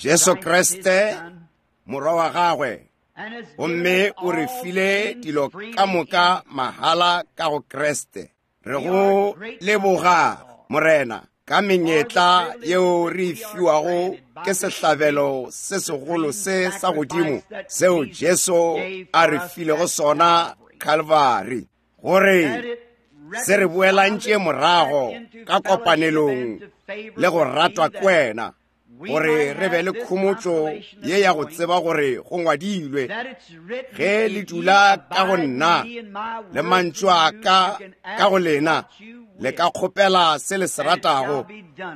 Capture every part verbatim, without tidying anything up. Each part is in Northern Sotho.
Jesu Kriste morwa wa gagwe, gomme o re file dilo ka moka mahala ka go Kriste. Re go leboga Morena ka menyetla yeo re e fiwago ke sehlabelo se segolo se sa godimo seo Jesu a re filego sona Calvary, gore se re boelantše morago ka kopanelong le go ratwa ke wena, gore re be le khomotšo ye ya go tseba gore go ngwadilwe, ge le dula ka go nna le mantšu a ka ka go lena, le ka kgopela se le se ratago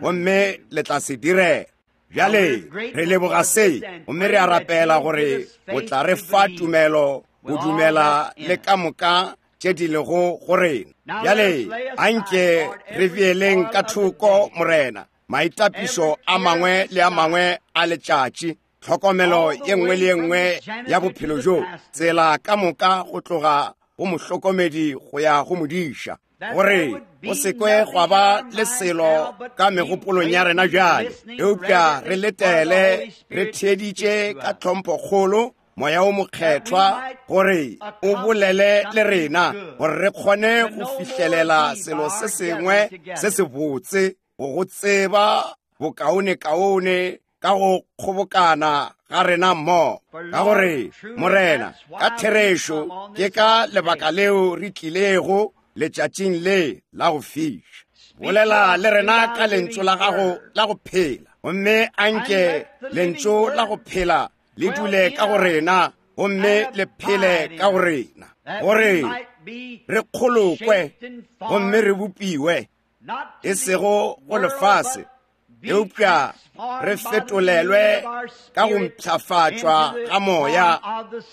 gomme le tla se direla. Bjale re leboga se gomme re a rapela gore o tla re fa tumelo go dumela le ka moka tše di lego go rena. Bjale anke re beeleng ka thoko Morena maitapišo a mangwe le a mangwe a letšatši, tlhokomelo ye nngwe le ye nngwe ya bophelo bjo, tsela ka moka go tloga go mohlokomedi go ya go modiša, gore go se kwe gwa ba le selo ka megopolong ya rena bjale, eupša re letele re theeditše ka tlhomphokgolo Moya o Mokgethwa gore o bolele le rena, gore re kgone go fihlelela selo se sengwe se se botse, go go tseba bokaonekaone ka go kgobokana ga rena mmogo. Ka gore Morena, ka therešo ke ka lebaka leo re tlilego letšatšing le la go fiša. Bolela le rena ka lentšu la gago la go phela, gomme anke lentšu la go phela le dule ka go rena gomme le phele ka go rena, gore re kgolokwe gomme re bopiwe, e sego go lefase, eupša re fetolelwe ka go mpshafatšwa ga moya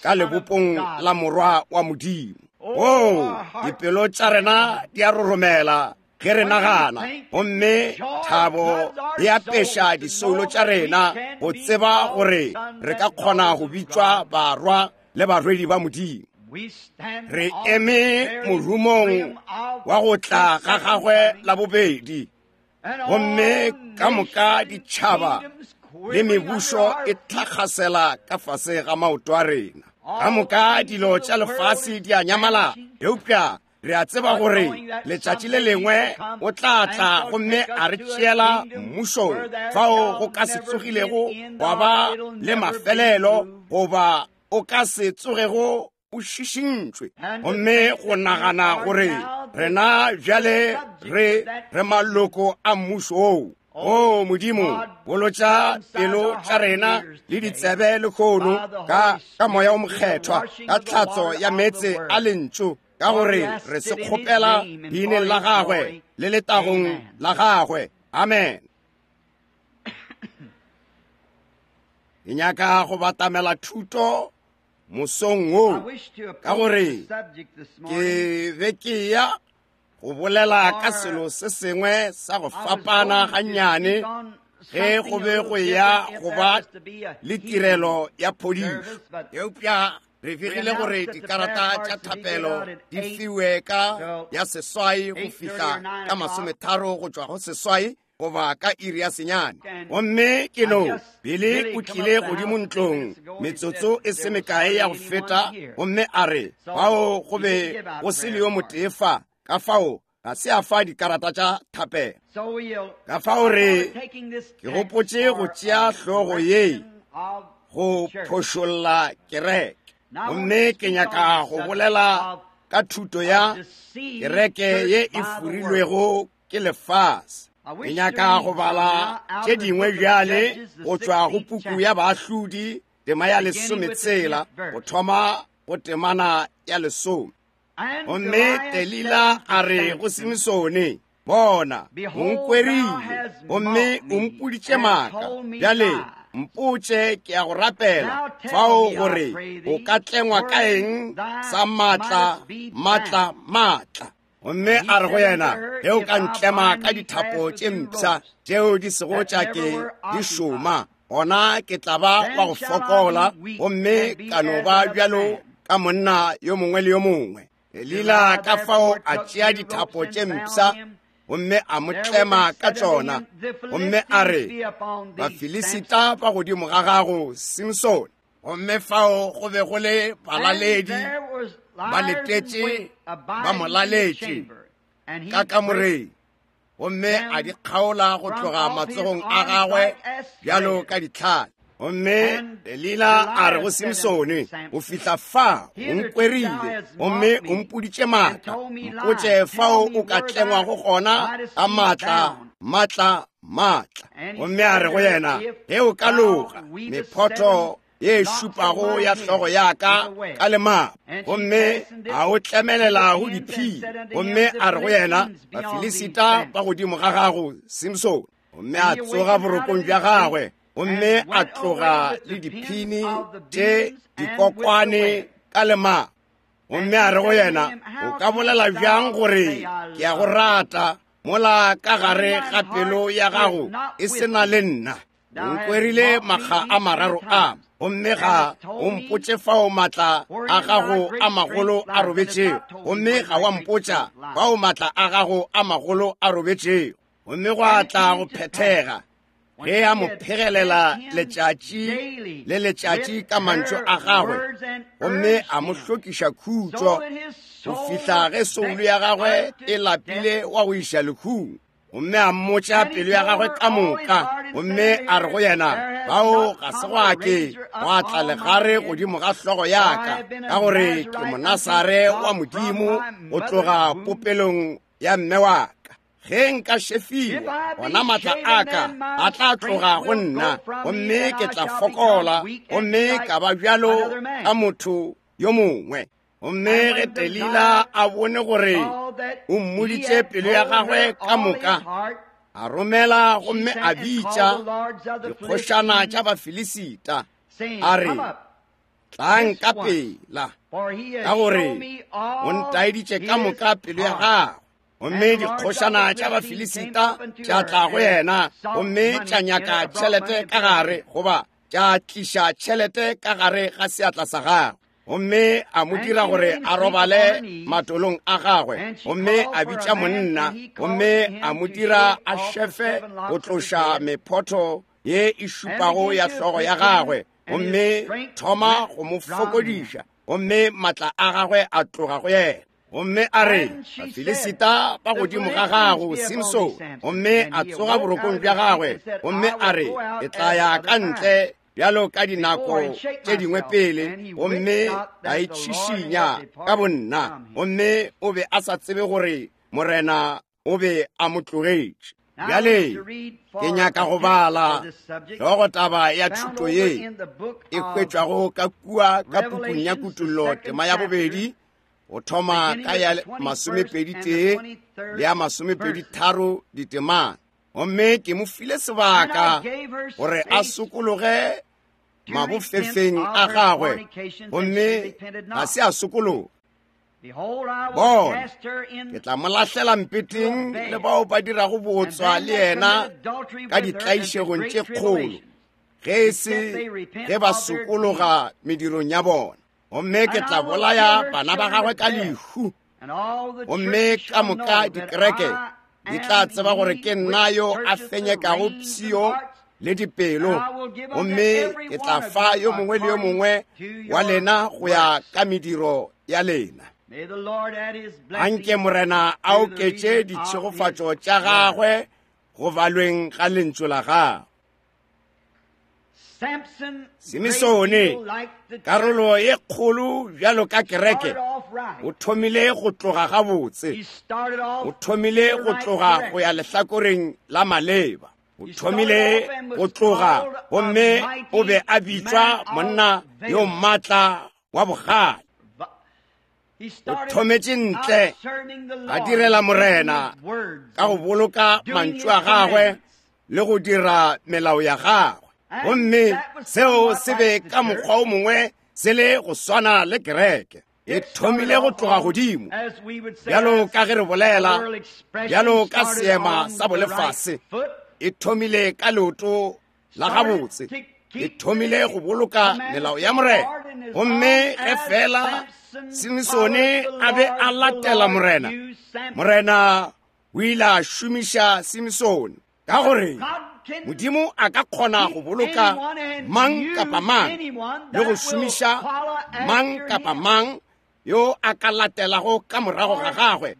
ka lebopong la morwa wa Modimo. Oo, dipelo tša rena di a roromela ge re nagana, gomme thabo e apeša disoulo tša rena go tseba gore re ka kgona go bitšwa barwa le barwedi ba Modimo. Re eme morumong wa go tla ga gagwe la bobedi, gomme ka moka ditšhaba le mebušo e tlhakgasela ka fase ga maoto a rena. Ka moka dilo tša lefase di a nyamala, eupša re a tseba gore letšatši le lengwe o tla tla gomme a re tšeela mmušong fao go ka se tsogilego gwa ba le mafelelo, goba o ka se tsogego o šišintšwe. Gomme go nagana gore rena bjale re re maloko a mmušo oo. O Modimo, bolotša pelo tša rena le ditsebe lehono ka ka moya o mokgethwa, ka tlhatso ya meetse a lentšu, ka gore re se kgopela leineng la gagwe le letagong la gagwe. Amen. Ke nyaka go batamela thuto mosong wo, ka gore ke be ke ya go bolela ka selo se sengwe sa go fapana gannyane ge go be go ya go ba le tirelo ya phodišo. Eupša re begile gore dikarata tša thapelo di fiwe ka ya seswai go fihla ka masometharo go tšwa go seswai goba ka iri ya senyane. Gomme ke no Billy o tlile godimo ntlong metsotso e se mekae ya go feta, gomme a re bao go be go se le yo motee fa, ka fao ga se a fa dikarata tša thapelo. Ka fao re ke gopotše go tšea hlogo ye go phošolla kereke, gomme ke nyaka go bolela ka thuto ya kereke ye e furilwego ke lefase. Ke nyaka go bala tše dingwe bjale go tšwa go puku ya Baahlodi tema ya lesometshela go thoma go temana ya lesome. Gomme Delila a re go Simisone, bona, o nkwerile gomme o mpoditše maaka. Bjale mpotše, ke ya go rapela fao gore o ka tlengwa ka eng sa maatla, maatla, maatla. Gomme a re go yena, ge o ka ntlema ka dithapo tše mpsha tšeo di sego tša ke di šoma, gona ke tla ba wa go fokola gomme ka no ba bjalo ka monna yo mongwe le yo mongwe. Delila ka fao a tšea dithapo tše mpsha gomme a mo tlema ka tšona, gomme a re, Bafilisita ba godimo ga gago, Simsone. Gomme fao go be go le balaledi ba letetše ba mo laletše ka kamoreng, gomme a di kgaola go tloga matsogong a gagwe bjalo ka ditlhale. Gomme Delila a re go Simsone, o fihla fa o nkwerile gomme o mpoditše maaka, mpotše fao o ka tlengwago gona ka maatla maatla maatla. Gomme a re go yena, ge o ka loga mephoto ye šupago ya hlogo ya ka ka lemapo, gomme a o tlemelela go diphiri. Gomme a re go yena, Bafilisita ba godimo ga gago, Simsone. Gomme a tsoga borokong bja gagwe, gomme a tloga le diphini tše dikokwane ka lemapo. Gomme a re go yena, o ka bolela bjang gore ke a go rata mola ka gare ga pelo ya gago e se na le nna? O nkwerile makga a mararo a, gomme ga o mpotše fao maatla a gago a magolo a robetšego, gomme ga wa mpotša fao maatla a gago a magolo a robetšego. Gomme go a tla go phethega ge a mo phegelela letšatši le letšatši ka mantšu a gagwe, gomme a mo hlokiša khutšo go fihla ge soulo ya gagwe e lapile wa go iša lehung. Gomme a mmotša pelo ya gagwe ka moka, gomme a re go yena, bao ga se gwa ke gwa tla legare godimo ga hlogo ya ka, ka gore ke Monasare wa Modimo go tloga popelong ya mme wa ka. Ge nka šefiwa, gona maatla a ka a tla tloga go nna, gomme ke tla fokola, gomme ka ba bjalo ka motho yo mongwe. Gomme ge Delila a bone gore o mmoditše pelo ya gagwe ka moka, a romela gomme a bitša dikgošana tša Bafilisita, a re, tlang ka pela, ka gore o ntaeditše ka moka pelo ya gagwe. Gomme dikgošana tša Bafilisita tša tla go yena, gomme tša nyaka tšhelete ka gare, goba tša tliša tšhelete ka gare ga seatla sa gagwe. Gomme a mo dira gore a robale matolong a gagwe, gomme a bitša monna, gomme a mo dira a šefe go tloša mephoto ye e šupago ya hlogo ya gagwe, gomme thoma go mo fokodiša, gomme maatla a gagwe a tloga go yena. Gomme a re, Bafilisita ba godimo ga gago, Simsone. Gomme a tsoga borokong bja gagwe, gomme a re, ke tla ya ka ntle bjalo ka dinako tše dingwe pele, gomme ka itšhišinya ka bonna. Gomme o be a sa tsebe gore Morena o be a mo tlogetše. Bjale ke nyaka go bala hlogotaba ya thuto ye e hwetšwago ka kua ka pukung ya Kutollo tema ya bobedi, go thoma ka ya masomepedi tee le ya masomepedi tharo ditemana. Gomme ke mo file sebaka gore a sokologe mabofefeng a gagwe, gomme ga se a sokologa. Bona, ke tla mo lahlela mpeteng le bao ba dirago bootswa le yena ka ditlaišegong tše kgolo, ge e se ge ba sokologa medirong ya bona. Gomme ke tla bolaya bana ba gagwe ka lehu, gomme ka moka dikereke di tla tseba gore ke nna yo a fenyekago pshio le dipelo, gomme ke tla fa yo mongwe le yo mongwe wa lena go ya ka mediro ya lena. Anke Morena a oketše ditšhegofatšo tša gagwe go balweng ga lentšu la gagwe. Simisone, karolo ye kgolo bjalo ka kereke, o thomile go tloga gabotse, o thomile go tloga go ya lehlakoreng la maleba, o thomile go tloga, gomme o be a bitšwa monna yo maatla wa bogale. O thometše ntle a direla Morena ka go boloka mantšu a gagwe le go dira melao ya gagwe. Gomme seo se be ka mokgwa o mongwe se le go swana le kereke. E thomile go tloga godimo, bjalo ka ge re bolela, bjalo ka seema sa bolefase, e thomile ka leoto la gabotse, e thomile go boloka melao ya Morena. Gomme ge fela Simisone a be a latela Morena, Morena O ile a šomiša Simsone ka gore Modimo a ka kgona go boloka mang kapa mang le go šomiša mang kapa mang yo a ka latelago ka morago ga gagwe,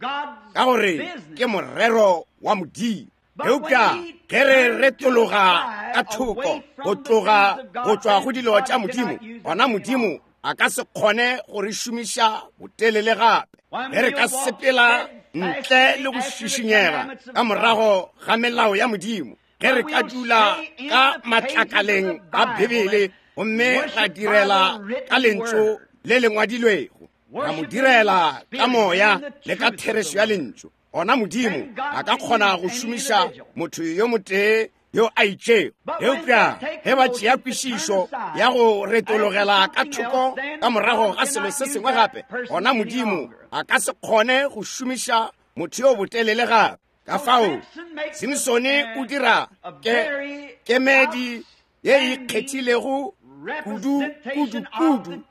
ka gore ke morero wa Modimo. Eupša ge re retologa ka thoko go tloga go tšwa go dilo tša Modimo, gona Modimo a ka se kgone go re šomiša botelele gape. Ge re ka sepela ntle le go šišinyega ka morago ga melao ya Modimo, ge re ka dula ka matlakaleng a Bibele gomme ra direla ka lentšu le le ngwadilwego, ra mo direla ka moya le ka therešo ya lentšu, gona Modimo a ka kgona go šomiša motho yo motee yo a itšego. Eupša ge ba tšea kwešišo ya go retologela ka thoko ka morago ga selo se sengwe gape, gona Modimo a ka se kgone go šomiša motho yo botelele gape. Ka fao Simsone o dira ke kemedi ye e ikgethilego kudu kudu kudu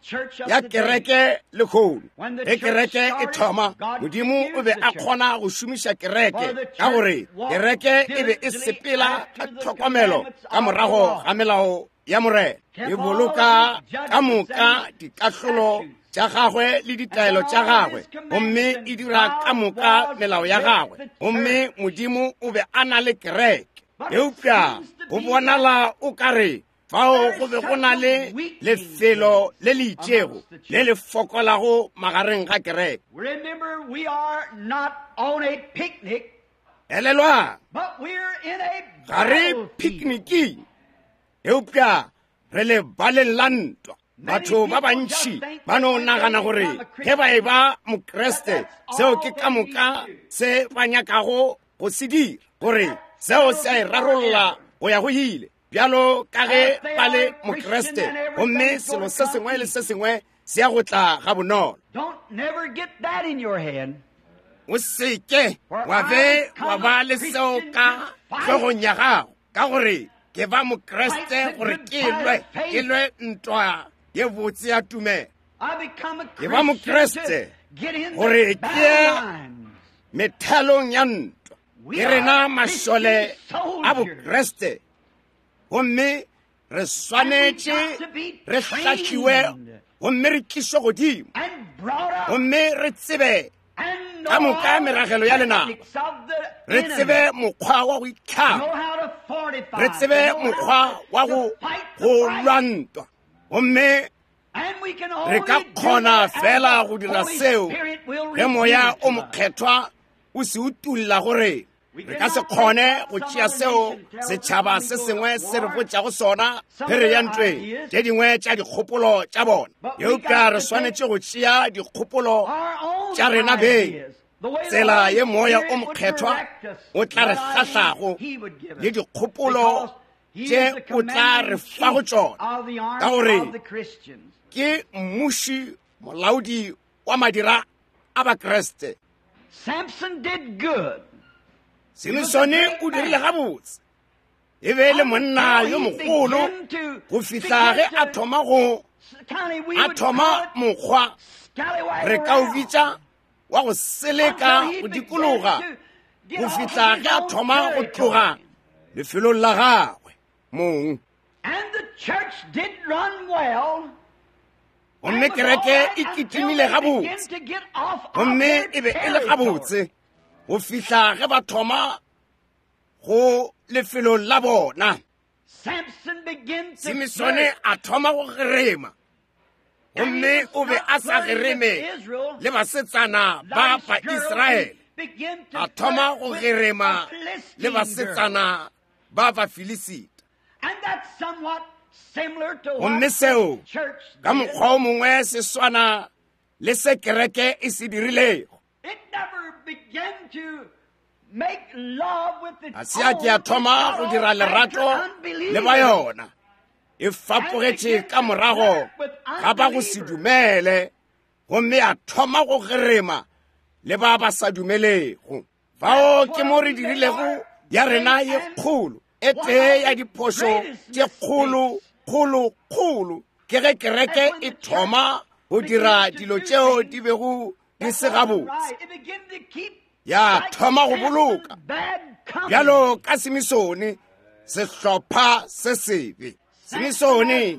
ya kereke lehono. Ge kereke e thoma, Modimo o be a kgona go šomiša kereke, ka gore kereke e be e sepela ka tlhokomelo ka morago ga melao ya Morena, e boloka ka moka dikahlolo tša gagwe le ditaelo tša gagwe, gomme e dira ka moka melao ya gagwe. Gomme Modimo o be a na le kereke. Eupša go bonala o ka re fao go be go na le lefelo le le itšego le le fokolago magareng ga kereke. Elelwang, ga re pikniking, eupša re lebaleng la ntwa. Batho ba bantši ba no nagana gore ge ba e ba Mokreste, seo ke ka moka se ba nyakago go se dira, gore seo se a e rarolla go ya go ile, bjalo ka ge ba le Mokreste, gomme selo se sengwe le se sengwe se ya go tla ga bonolo. O seke wa be wa ba le seo ka hlogong ya gago, ka gore ke ba Mokreste gore ke lwe, ke lwe ntwa ye botse ya tumelo. Ke ba Mokreste gore ke methalong ya ntwa. Ke rena mašole a Bokreste, gomme re swanetše re hlahliwe gomme re tlišwe godimo, gomme re tsebe ka moka meragelo ya lenaba, re tsebe mokgwa wa go itlhama, re tsebe mokgwa wa go go lwa ntwa. Gomme re ka kgona fela go dira seo ge Moya o Mokgethwa o se utulla gore re ka se kgone go tšea seo setšhaba se sengwe se re botšago sona ge re ya ntweng, tše dingwe tša dikgopolo tša bona. Eupša re swanetše go tšea dikgopolo tša rena beng, tsela ye Moya o Mokgethwa o tla re hlahlago le dikgopolo tše o tla re fa go tšona, ka gore ke mmuši molaodi wa madira a Bakreste. Samson did good. Simsone o dirile gabotse, e be le monna yo mogolo go fihla ge a thoma go a thoma mokgwa re ka o bitša wa go seleka go dikologa, go fihla ge a thoma go tloga lefelong la gagwe mong. And the church did run well. Gomme kereke e kitimile gabotse, gomme e be e le gabotse go fihla ge ba thoma go lefelong la bona. Simsone a thoma go gerema, gomme o be a sa gereme le basetsana ba ba Israele, a thoma go gerema le basetsana ba ba Filisita. Gomme seo ka mokgwa o mongwe se swana le se kereke e se dirilego. A se a ke a thoma go dira lerato le ba yona, e fapogetše ka morago ga ba go se dumele, gomme a thoma go gerema le ba ba sa dumelego. Fao ke mo re dirilego ya rena ye kgolo, e tee ya diphošo tše kgolo kgolo kgolo, ke ge kereke e thoma go dira dilo tšeo di bego di se gabotse. Ya thoma go boloka bjalo ka Simisone, sehlopha se sebe. Simisone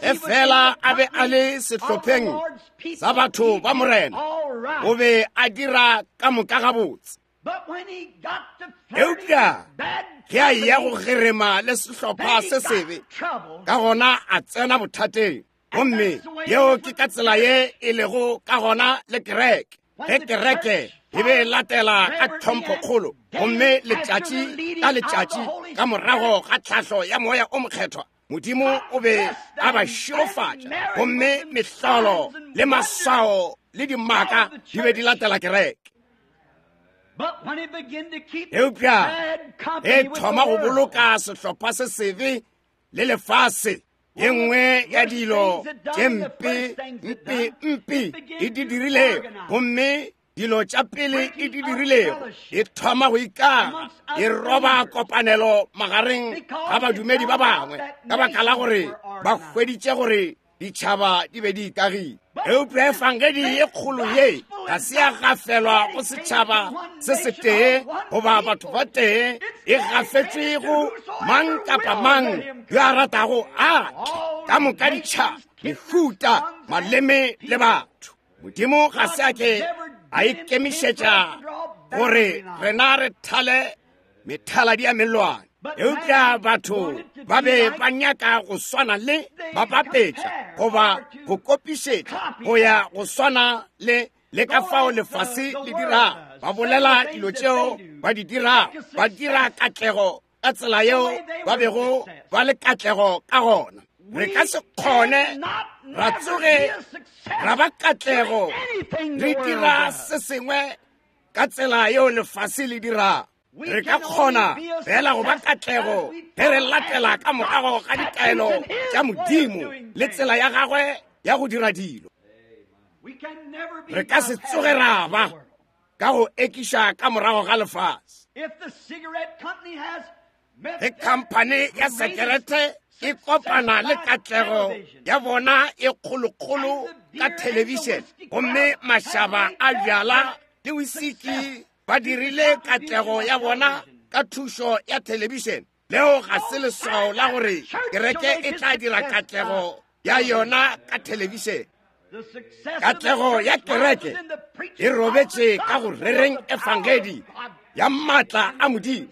e fela a be a le sehlopheng sa batho ba Morena, o be a dira ka moka gabotse. Eupša ge a ya go gerema le sehlopha se sebe, ka gona a tsena bothateng. Gomme yeo ke ka tsela ye e lego ka gona le kereke. Ge kereke e be e latela ka tlhomphokgolo, gomme letšatši ka letšatši ka morago ga tlhahlo ya moya o mokgethwa, Modimo o be a ba šegofatša, gomme mehlolo le maswao le dimaka di be di latela kereke. Eupša e thoma go boloka sehlopha se sebe le lefase, ye nngwe ya dilo tše mpe mpe mpe e di dirilego, gomme dilo tša pele e di dirilego, e thoma go ikaga, e roba kopanelo magareng ga badumedi ba bangwe, ka baka la gore ba hweditše gore ditšhaba di be di ikagile. Eupša efangedi ye kgolo ye ga se ya gafelwa go setšhaba se setee goba batho ba tee, e gafetšwe go mang kapa mang yo a ratago a tle, ka moka ditšhaba, mehuta, maleme le batho. Modimo ga se a ke a ikemišetša gore rena re thale methaladi ya mellwane, eupša batho ba be ba nyaka go swana le ba bapetša goba go kopišetša go ya go swana le le ka fao lefase le dirago. Ba bolela dilo tšeo ba di dirago, ba dira katlego ka tsela yeo ba bego ba le katlego ka gona. Re ka se kgone ra tsoge ra ba katlego re dira se sengwe ka tsela yeo lefase le dirago. Re ka kgona fela go ba katlego ge re latela ka morago ga ditaelo tša Modimo le tsela ya gagwe ya go dira dilo. Re ka se tsoge ra ba ka go ekiša ka morago ga lefase. Ge khamphane ya sekerete e kopana le katlego ya bona e kgolokgolo ka thelebišene, gomme mašaba a bjala le wisiki ba dirile katlego ya bona ka thušo ya thelebišene, leo ga se leswao la gore kereke e tla dira katlego ya yona ka thelebišene. Katlego ya kereke e robetše ka go rereng efangedi ya maatla a Modimo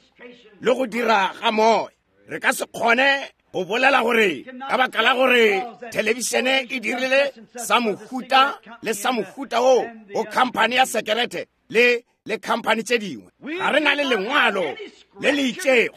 le go dira ga moya. Re ka se kgone go bolela gore ka baka la gore thelebišene e dirile sa mohuta le sa mohuta wo go khamphane ya sekerete le le khamphane tše dingwe, ga re na le lengwalo le le itšego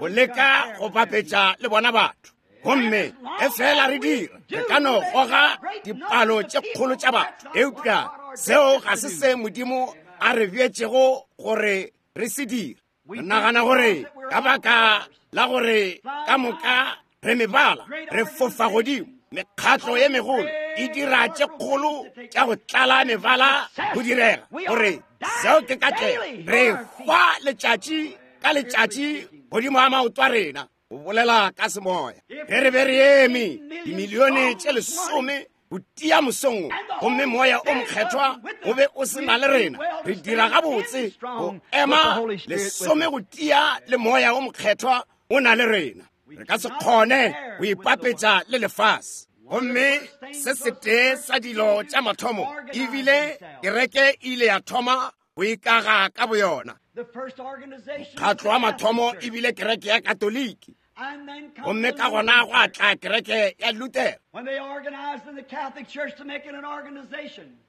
go leka go bapetša le bona batho. Gomme e fela re dira, re ka no goga dipalo tše kgolo tša batho, eupša seo ga se se Modimo a re bjetšego gore re se dire. Re nagana gore ka baka la gore ka moka re mebala, re fofa godimo, mekgatlo ye megolo e dira tše kgolo tša go tlala mebala go direga gore seo ke katlego. Re hwa letšatši ka letšatši godimo ga maoto a rena go bolela ka semoya. Ge re be re eme dimilione tše lesome go tia mosong, gomme moya o mokgethwa o be o se na le rena, re dira gabotse go ema lesome go tia le moya o mokgethwa o na le rena. Re ka se kgone go ipapetša le lefase. Gomme se setee sa dilo tša mathomo ebile kereke e ile ya thoma go ikaga ka boyona. Mokgatlo wa mathomo ebile kereke ya Katoliki, gomme ka gona go atla kereke ya Luther.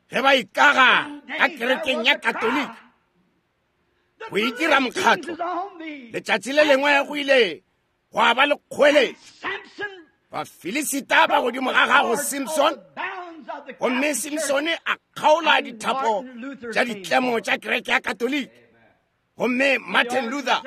Ge ba ikaga ka kerekeng ya Katoliki go itira mokgatlo, letšatši le lengwe go ile gwa ba le kgoeletšo, Bafilisita ba godimo ga gago Simson, gomme Simsone a kgaola dithapo tša ditlemo tša kereke ya Katoliki, gomme Martin Luther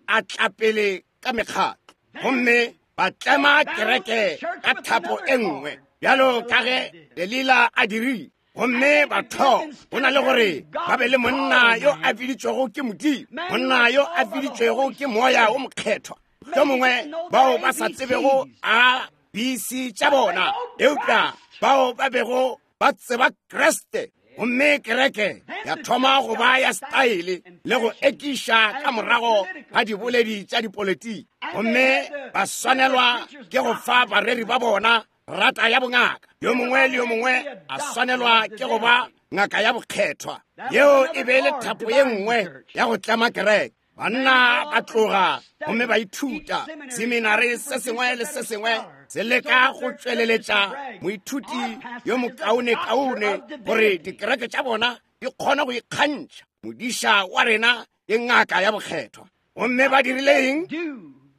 a tla pele ka mekgatlo, gomme ba tlema kereke ka thapo e nngwe bjalo ka ge Delila a dirile. Gomme batho go na le gore ba be le monna yo a biditšwego ke Modimo, monna yo a biditšwego ke moya o mokgethwa, mohlomongwe bao ba sa tsebego A B C tša bona, eupša bao ba bego ba tseba Kriste. Gomme kereke ya thoma go ba ya style le go ekiša ka morago ga diboledi tša dipolitiki. Gomme ba swanelwa ke go fa bareri ba bona rata ya bongaka. Yo mongwe le yo mongwe a swanelwa ke go ba ngaka ya bokgethwa. Yeo e be le thapo ye nngwe ya go tlema kereke. Banna ba tloga gomme ba ithuta seminari se sengwe le se sengwe se leka go tšweleletša moithuti yo mokaonekaone gore dikereke tša bona di kgone go ikgantšha. Modiša wa rena ke ngaka ya bokgethwa. Gomme ba dirile eng?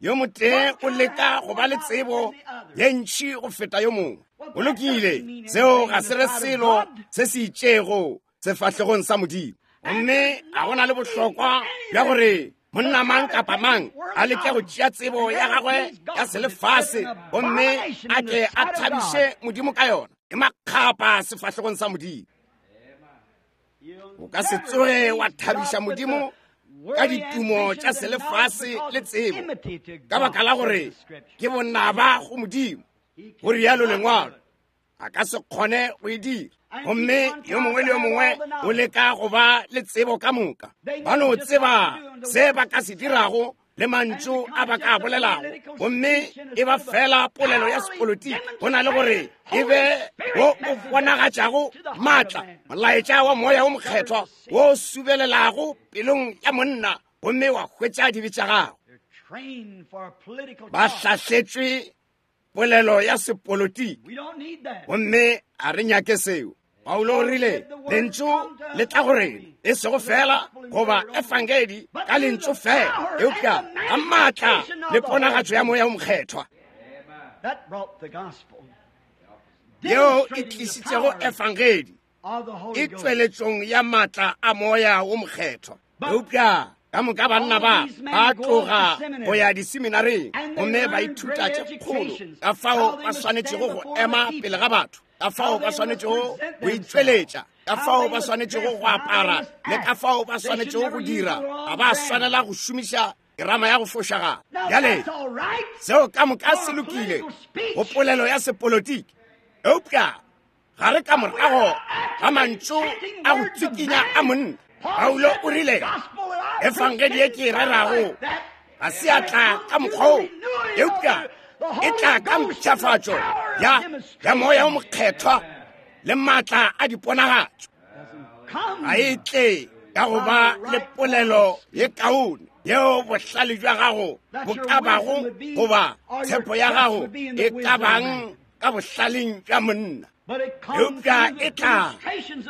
Yo motee o leka go ba le tsebo ye ntši go feta yo mongwe. Go lokile, seo ga se re selo se se itšego sefahlegong sa Modimo. Gomme a go na le bohlokwa bja gore monna mang kapa mang a leke go tšea tsebo ya gagwe ya selefase gomme a ke a thabiše Modimo ka yona. E makgapa sefahlegong sa Modimo. O ka se tsoge wa thabiša Modimo ka ditumo tša selefase le tsebo, ka baka la gore ke bonaba go Modimo. Go rialo lengwalo. A ka se kgone go e dira. Gomme yo mongwe le yo mongwe o leka go ba le tsebo ka moka. Ba no tseba se ba ka se dirago le mantšu a ba ka bolelago, gomme e ba fela polelo ya sepolitiki go na le gore e be wo o bonagatšago maatla, molaetša wa moya o mokgethwa wo o subelelago pelong ya monna gomme wa hwetša dibe tša gagwe. Ba hlahletšwe polelo ya sepolitiki, gomme a re nyake seo. Paulo o rile lentšu le tla go rena e sego fela goba efangedi ka lentšu fela, eupša ka maatla le ponagatšo ya moya o mokgethwa. Yeo e tlišitšego efangedi e tšweletšong ya maatla a moya o mokgethwa. Eupša ka moka banna ba ba tloga go ya diseminareng gomme ba ithuta tše kgolo ka fao ba swanetšego go ema pele ga batho, ka fao ba swanetšego go itšweletša, ka fao ba swanetšego go apara le ka fao ba swanetšego go dira. Ga ba swanela go šomiša kerama ya go fošagala. Bjale seo ka moka se lokile go polelo ya sepolitiki, eupša ga re ka morago ga mantšu a go tsikinya a monna. Paulo o rile efangedi ye ke e rerago ga se ya tla ka mokgwa wo, eupša e tla ka mpshafatšo ya ya moya o mokgethwa le maatla a diponagatšo. Ga e tle ka go ba le polelo ye kaone yeo bohlale bja gago bo ka bago goba tshepo ya gago e ka bang ka bohlaleng bja monna, eupša e tla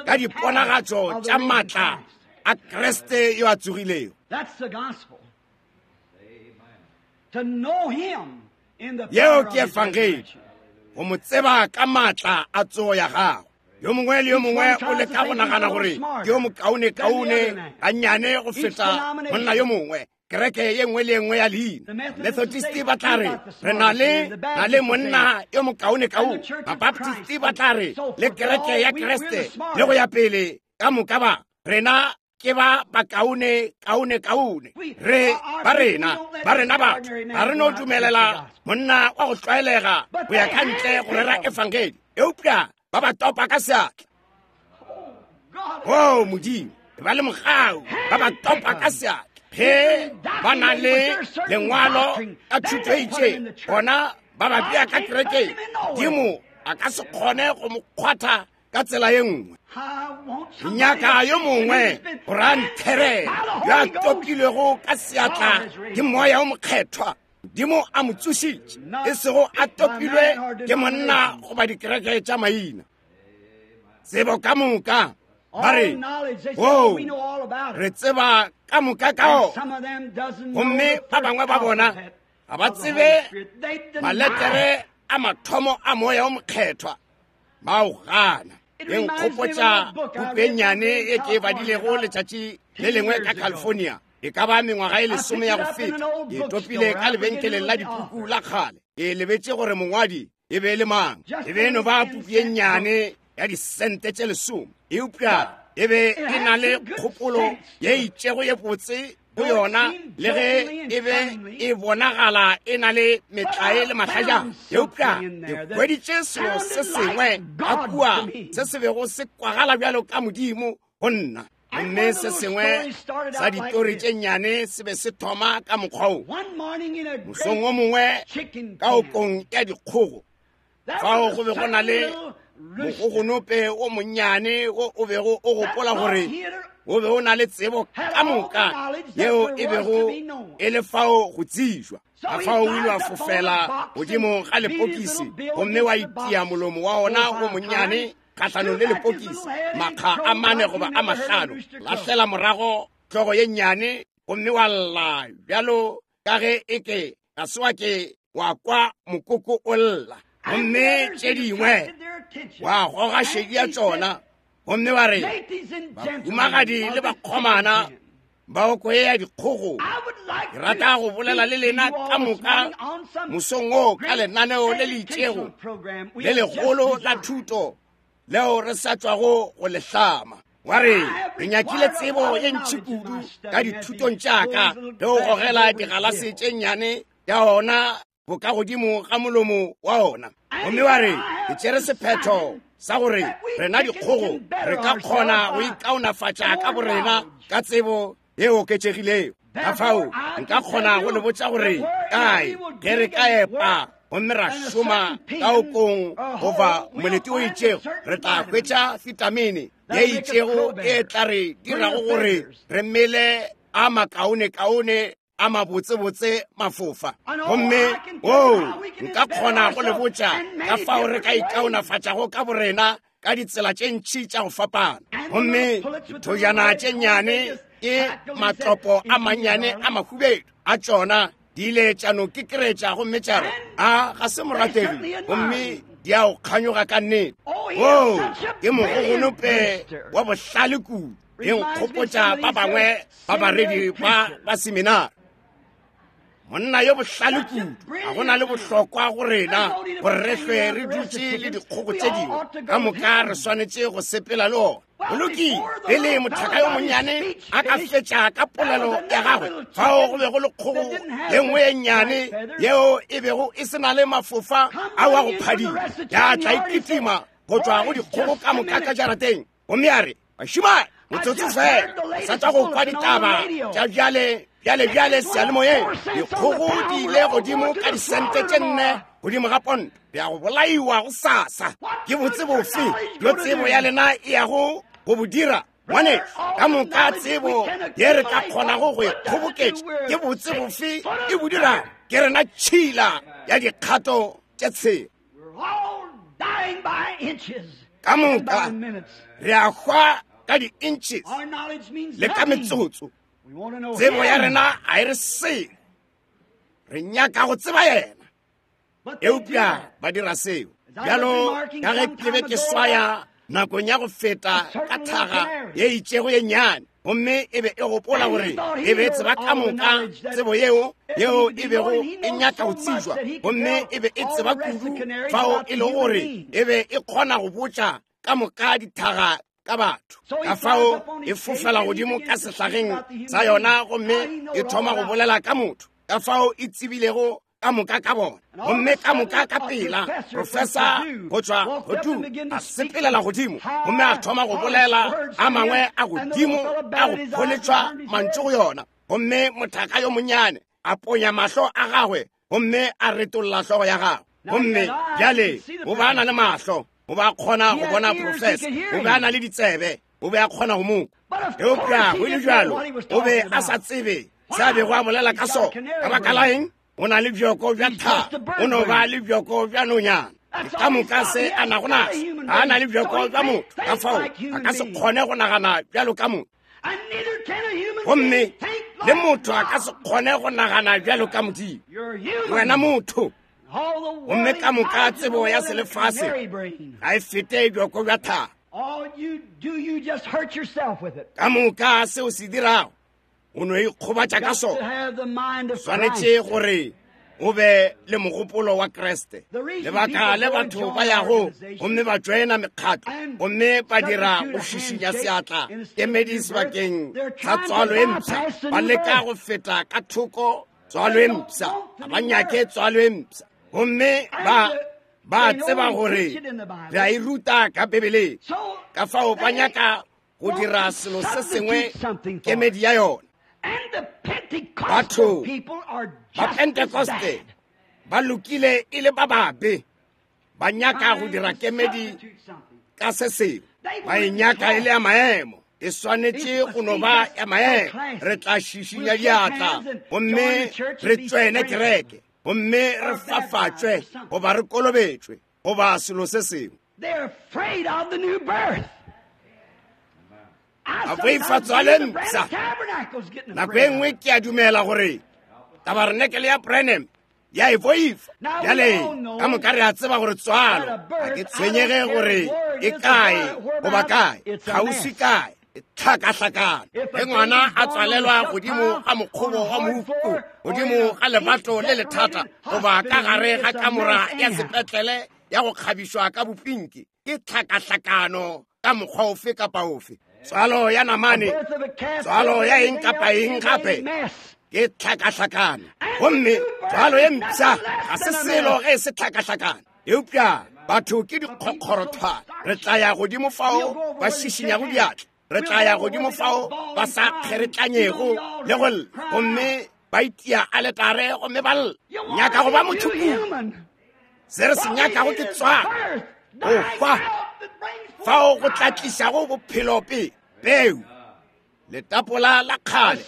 ka diponagatšo tša maatla a Kriste yo a tsogilego. Yeo ke efangedi, go mo tseba ka maatla a tsogo ya gagwe. Yo mongwe le yo mongwe o leka go nagana gore ke yo mokaonekaone gannyane go feta monna yo mongwe. Kereke ye nngwe le ye nngwe ya leina. Methodist ba tla re re na le na le monna yo mokaonekaone. Mabaptist ba tla re le kereke ya Kriste le go ya pele ka moka ba rena ke ba bakaone kaone kaone. Re ba rena ba rena batho ga re no dumelela monna wa go tlwaelega go ya ka ntle go rera efangedi, eupša ba ba topa ka seatla. O Modimo, ba le mogau, ba ba topa ka seatla. Ge ba na le lengwalo ka thuto e itšeng, gona ba ba bea ka kerekeng. Modimo a ka se kgone go mo kgwatha ka tsela ye nngwe. Nyaka yo mongwe gore a ntherele yo a topilwego ka seatla ke moya o mokgethwa. Modimo a mo tsošitše, e sego a topilwe ke monna goba dikereke tša maina. Tsebo ka moka ba re, o re tseba ka moka ka o. Gomme ba bangwe ba bona ga ba tsebe maletere a mathomo a moya o mokgethwa, ba o gana. E nkgopotša puku e nnyane e ke e badilego letšatši le lengwe ka California, e ka ba mengwaga e lesome ya go feta. Ke topile ka lebenkeleng la dipuku la kgale. Ke lebetše gore mongwadi e be e le mang. E be e no ba puku ye nnyane ya disente tše lesome, eupša e be e na le kgopolo ye itšego ye botse go yona le ge e be e bonagala e na le metlae le mahlajana, eupša ke hweditše selo se sengwe ka kua se se bego se kwagala bjalo ka Modimo go nna. Gomme se sengwe sa ditori tše nnyane se be se thoma ka mokgwa wo. Mosong o mongwe ka okong ya dikgogo, fao go be go na le mogogonope o monnyane wo o bego o gopola gore o be o na le tsebo ka moka yeo e bego e le fao go tsejwa. Ka fao o ile wa fofela godimo ga lepokisi gomme wa itia molomo wa ona o monnyane kgahlanong le lepokisi makga a mane goba a mahlano, lahlela morago hlogo ye nnyane gomme wa lla bjalo ka ge eke ga se wa ke wa kwa mokoko o lla. Gomme tše dingwe wa goga šedi ya tšona gomme wa re, bahumagadi le bakgomana ba oko ye ya dikgogo, ke rata go bolela le lena ka moka mosong wo ka lenaneo le le itšego le legolo la thuto leo re sa tšwago go le hlama. Wa re, re nyakile tsebo ye ntši kudu ka dithutong tša ka le go gogela digalase tše nnyane tša ona bokagodimo ga molomo wa ona. Gomme wa re, ke tšere sephetho sa gore rena dikgogo re ka kgona go ikaonafatša ka borena ka tsebo ye oketšegilego. Ka fao nka kgona go le botša gore kae ge re ka epa gomme ra šoma ka okong goba molete o itšego, re tla hwetša vitamine ye itšego e tla re dirago gore re mele a makaonekaone a mabotsebotse mafofa. Gomme oo nka kgona go le botša ka fao re ka ikaonafatšago ka borena ka ditsela tše ntši tša go fapana. Gomme dithojana tše nnyane ke matlopo a mannyane a mahubedu a tšona di ile tša no kekeretša gomme tša re, a ga se morategi, gomme di a o kganyoga ka nnete. Oo ke mogogonope wa bohlale kudu, e nkgopotša ba bangwe ba baredi ba ba seminari. Monna yo bohlale kudu, ga go na le bohlokwa go rena gore re hlwe re dutše le dikgogo tše dingwe, ka moka re swanetše go sepela le ona. Go lokile, pele mothaka yo monnyane a ka fetša ka polelo ya gagwe, fao go be go le kgogo ye nngwe ye nnyane yeo e bego e se na le mafofa ao a go phadima, ya tla e kitima go tšwa go dikgogo ka moka ka jarateng. Gomme a re, bašemane, motsotso fela, sa tšwa go kwa ditaba tša bjale bjale bjale seyalemoyeng, dikgogo di ile godimo ka disente tše nne godimo ga ponto, bja go bolaiwa go sasa. Ke botse bofe bjo tsebo ya lena e yago go bo dira? Ngwanešu, ka moka tsebo ye re ka kgonago go e kgoboketša, ke botse bofe e bo dirago? Ke rena tšhila ya dikgato tše tshela. Ka moka re a hwa ka di-inches le ka metsotso. Tsebo ya rena ga e re selo, re nyaka go tseba yena. Eupša ba dira seo. Bjalo ka ge ke be ke swaya nakong ya go feta ka thaga ye itšego ye nnyane, gomme e be e gopola gore e be e tseba ka moka tsebo yeo yeo e bego e nyaka go tsejwa, gomme e be e tseba kudu fao e lego gore e be e kgona go botša ka moka dithaga ka batho. Ka fao e fofela godimo ka sehlageng sa yona gomme e thoma go bolela ka motho, ka fao e tsebilego ka moka ka bona. Gomme ka moka ka pela professor go tšwa godimo a sepelela godimo gomme a thoma go bolela a mangwe a godimo a go pholetšwa mantšu go yona. Gomme mothaka yo monnyane a ponya mahlo a gagwe gomme a retolla hlogo ya gagwe. Gomme bjale o ba na le mahlo, o ba kgona go bona professor, o be a na le ditsebe, o be a kgona go mo kwa. Eupša go le bjalo o be a sa tsebe se a bego a bolela ka sona. Ka baka la eng? O na le bjoko bja thapo, o no ba le bjoko bja nonyana. Ka moka se a nago naso, ga a na le bjoko bja motho, ka fao a ka se kgone go nagana bjalo ka motho. Gomme le motho a ka se kgone go nagana bjalo ka Modimo. Wena motho, gomme ka moka tsebo ya selefase ga e fete bjoko bja thapo. Ka moka seo se dirago, o no ikgobatša ka sona. Swanetše gore o be le mogopolo wa Kriste. Lebaka le batho ba yago gomme ba joina mekgatlo gomme ba dira go šišinya seatla kemedi sebakeng sa tswalo e mpsha, ba leka go feta ka thoko tswalo e mpsha, ga ba nyake tswalo e mpsha. Gomme ba ba tseba gore re a e ruta ka Bibeleng, ka fao ba nyaka go dira selo se sengwe kemedi ya yona. Batho ba Pentecoste ba lokile e le ba babe, ba nyaka go dira kemedi ka se sengwe, ba e nyaka e le ya maemo. E swanetše go no ba ya maemo. Re tla šišinya diatla gomme re tswene kereke gomme re fafatšwe goba re kolobetšwe goba selo se sengwe. A boifa tswalo e mpsha. Nako e nngwe ke a dumela gore tabarenekele ya Branham ya e boifa. Bjale ka moka re a tseba gore tswalo ga ke tshwenyege gore e kae goba kae, kgauswi kae, e tlhakahlakana. Ge ngwana a tswalelwa godimo ga mokgobo wa mofu, godimo ga lebato le lethata, goba ka gare ga kamora ya sepetlele ya go kgabišwa ka bopinki, ke tlhakahlakano ka mokgwa ofe kapa ofe. Tswalo ya namane, tswalo ya eng kapa eng gape, ke tlhakahlakano. Gomme tswalo ye mpsha ga se selo ge e se tlhakahlakano. Eupša batho ke dikgokgorothwana. Re tla ya godimo fao ba šišinyago diatla, re tla ya godimo fao ba sa kgeretlanyego le go lla, gomme ba itia aletare gomme ba lla. Nyaka go ba motho kudu. Se re se nyakago ke tswalo, go hwa fao go tla tlišago bophelo pele. Peu, letapola la kgale,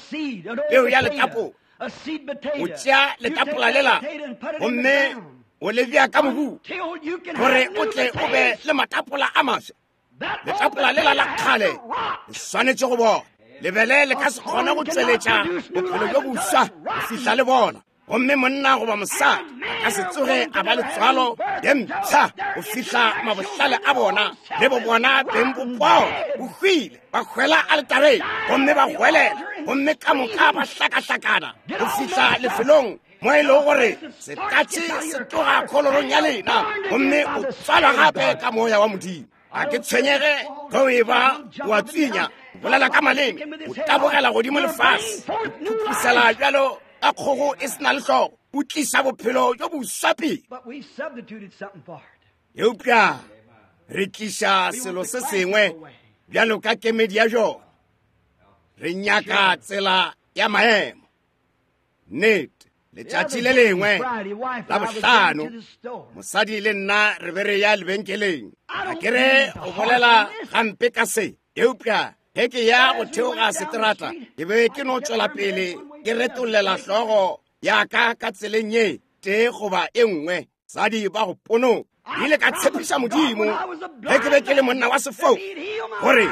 peu ya letapola. O tšea letapola lela gomme o le bea ka mobu gore o tle o be le matapola a maswa. Letapola lela la kgale le swanetše go bona. Lebele le ka se kgone go tšweletša bophelo bjo boswa go fihla le bona. Gomme monna goba mosadi a ka se tsoge a ba le tswalo ye mpsha go fihla mabohlale a bona le bo bona beng bo bona bo hwile, ba hwela aletareng gomme ba hwelela, gomme ka moka ba hlakahlakana go fihla lefelong mo e lego gore setatšhe se tloga kholorong ya lena, gomme o tswalwa gape ka moya wa Modimo. Ga ke tshwenyege ge o e ba wa tswinya, o bolela ka maleme, o tabogela godimo lefase, o phuphusela bjalo ka kgogo e se na le hlogo, o tliša bophelo bjo boswa pele. Eupša re tliša selo se sengwe bjalo ka kemedi ya jona. Re nyaka tsela ya maemo. Nnete, letšatši le lengwe la bohlano, mosadi le nna re be re ya lebenkeleng. Ga ke re o bolela gampe ka se, eupša ge ke ya go theoga seterata, ke be ke no tšwela pele ke retollela hlogo ya ka ka tseleng ye tee goba e nngwe. Sadi ba go ponoka. Ile ka tshepiša Modimo ge ke be ke le monna wa sefou gore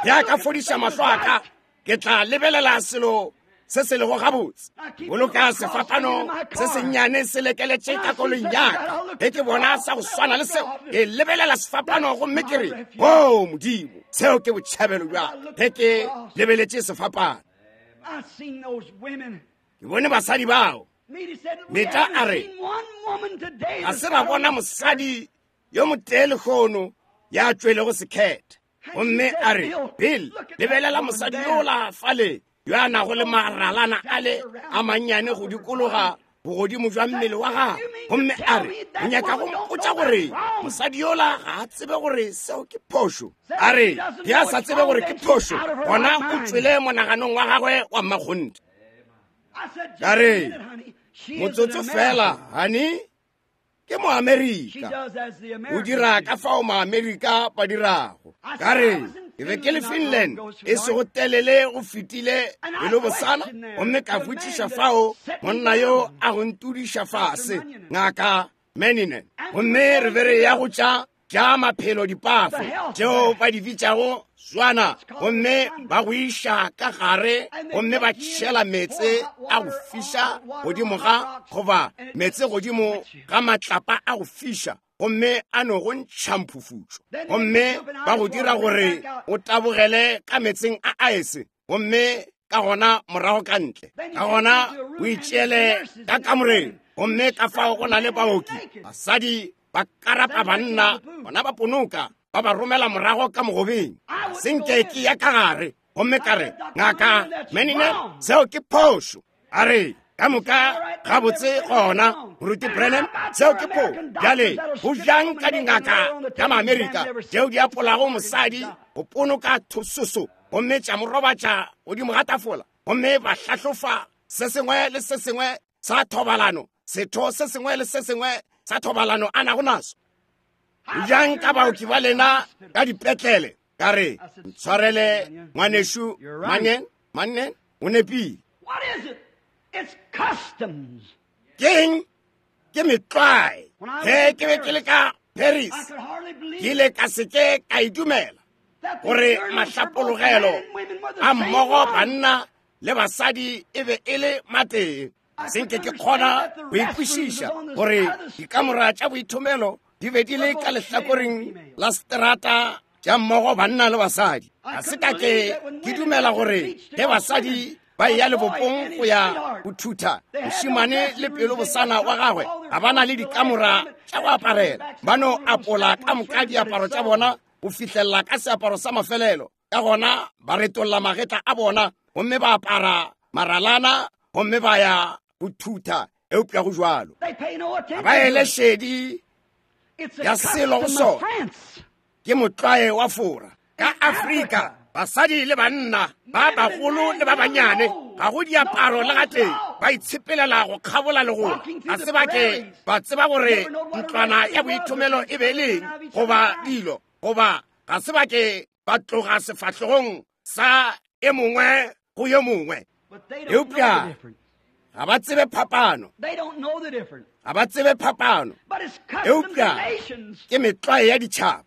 ge a ka fodiša mahlo a ka, ke tla lebelela selo se se lego gabotse. Boloka sefapano se sennyane se lekeletše ka koloing ya ka. Ge ke bona sa go swana le seo, ke lebelela sefapano gomme ke re, o Modimo, seo ke botšhabelo bja ka. Ge ke lebeletše sefapano, ke bone basadi bao. Meta a re, ga se ra bona mosadi yo motee lehono ya tšwelego sekhethe. Gomme a re, Bill, lebelela mosadi yola fale yo a nago le maralana a le a mannyane go dikologa bogodimo jwa mmele wa gagwe. Gomme a re, o nyaka go mpotša gore mosadi yola ga a tsebe gore seo ke phošo? A re, ge a sa tsebe gore ke phošo, gona o tšwele monaganong wa gagwe wa mmakgonthe. Ka re, motsotso fela, honey, ke Moamerika. O dira ka fao Maamerika ba dirago. Ka re, ke be ke le Finland e sego telele go fetile pelo bosana, gomme ka botšiša fao monna yo a go ntudiša fase, Ngaka Meninen. Gomme re be re ya go tša tša maphelo dipafo tšeo ba di bitšago swana, gomme ba go iša ka gare gomme ba tšhela meetse a go fiša godimo ga, goba meetse godimo ga matlapa a go fiša, gomme a no go ntšha mphufutšo, gomme ba go dira gore o tabogele ka meetseng a aese, gomme ka gona morago ka ntle, ka gona o itšeele ka kamoreng, Gomme ka fao go na le baoki, basadi ba karapa banna, bona ba ponoka, ba ba romela morago ka mogobeng. Senke ke ya ka gare. Gomme ka re, Ngaka Menine, seo ke phošo. A re, ka moka gabotse gona, Moruti Branham, seo ke phošo. Bjale, go bjang ka dingaka tša Maamerika tšeo di apolago mosadi go ponoka thososo, gomme tša mo robatša godimo ga tafola, gomme ba hlahlofa se sengwe le se sengwe sa thobalano, setho se sengwe le se sengwe sa thobalano a nago naso. Bjang ka baoki ba lena ka dipetlele? Ka re, ntshwarele ngwanešu Manen, Manen, o nepile. What is it? It's customs. Keng? Ke metlwae. Ge ke be ke le ka Paris, ke ile ka se ke ka e dumela gore mahlapologelo a mmogo banna le basadi e be e le matee. Senke ke kgona go ikwešiša gore dikamora tša boithomelo di be di le ka lehlakoreng la seterata tša mmogo banna le basadi. Ga se ka ke ke dumela gore ge basadi ba ya lebopong go ya go thutha mošemane le pelo bosana wa gagwe, ga ba na le dikamora tša go aparela, ba no apola ka moka diaparo tša bona go fihlelela ka seaparo sa mafelelo. Ka gona ba retolla magetla a bona gomme ba apara maralana gomme ba ya go thutha. Eupša go jwalo, ga ba ele šedi ya selo go sona. Ke motlwae wa Fora. Ka Afrika, basadi le banna ba bagolo le ba banyane ga go diaparo le gatee, ba itshepelela go kgabola legola. Ga se ba ke ba tseba gore ntlwana ya boithomelo e be leng goba dilo, goba ga se ba ke ba tloga sefahlogong sa e mongwe go yo mongwe. Eupša ga ba tsebe phapano. Ga ba tsebe phapano. Eupša ke metlwae ya ditšhaba.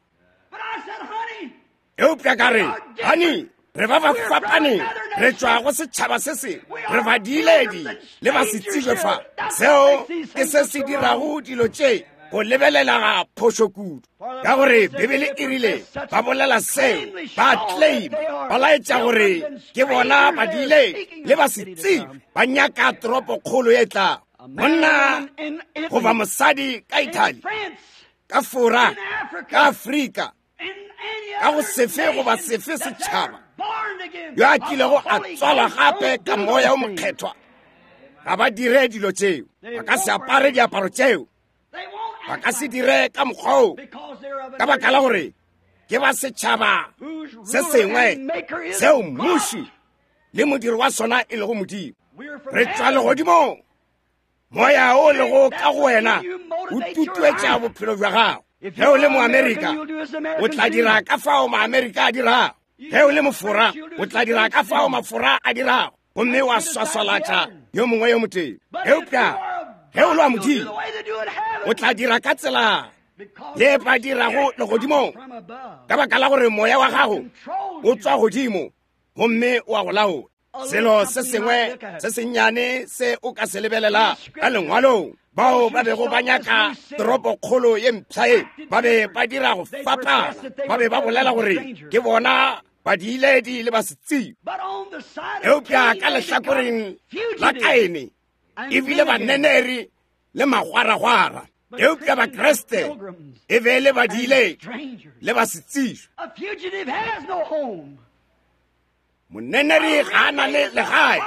Eupša ka re, honey, re ba ba fapaneng, re tšwa go setšhaba se sengwe, re badiiledi le ba se tsebe fa. Seo ke se se dirago dilo tše go lebelela ga phošo kudu, ka gore Bibele e rile ba bolela seo, ba claim, ba laetša gore ke bona badiiledi le ba se tsebe, ba nyaka toropokgolo e tlago. Monna goba mosadi ka Italy, ka Fora, ka Afrika, ka go sefe goba sefe setšhaba yo a kilego a tswalwa gape ka moya o mokgethwa, ga ba dire dilo tšeo. Ba ka se apare diaparo tšeo, ba ka se dire ka mokgwa oo, ka baka la gore ke ba setšhaba se sengwe seo mmuši le modiri wa sona e lego Modimo. Re tšwa legodimong. Moya o lego ka go wena o tutuetša bophelo bja gago. Ge o le Moamerika, o tla dira ka fao Maamerika a dirago. Ge o le Mofora, o tla dira ka fao Mafora a dirago, gomme wa swaswalatša yo mongwe yo motee. Eupša ge o le wa Modimo, o tla dira ka tsela ye ba dirago legodimong, ka baka la gore moya wa gago o tswa godimo gomme o a go laola. Selo se sengwe se sennyane se o ka se lebelela ka lengwalong, bao ba bego ba nyaka toropokgolo ye mpsha ye, ba be ba dira go fapana, ba be ba bolela gore ke bona badiiledi le ba se tsebe. Eupša ka lehlakoreng la Kaene e bile baneneri le magwaragwara. Eupša Bakriste e be le badiiledi le ba se tsebe. Moneneri ga a na le legae,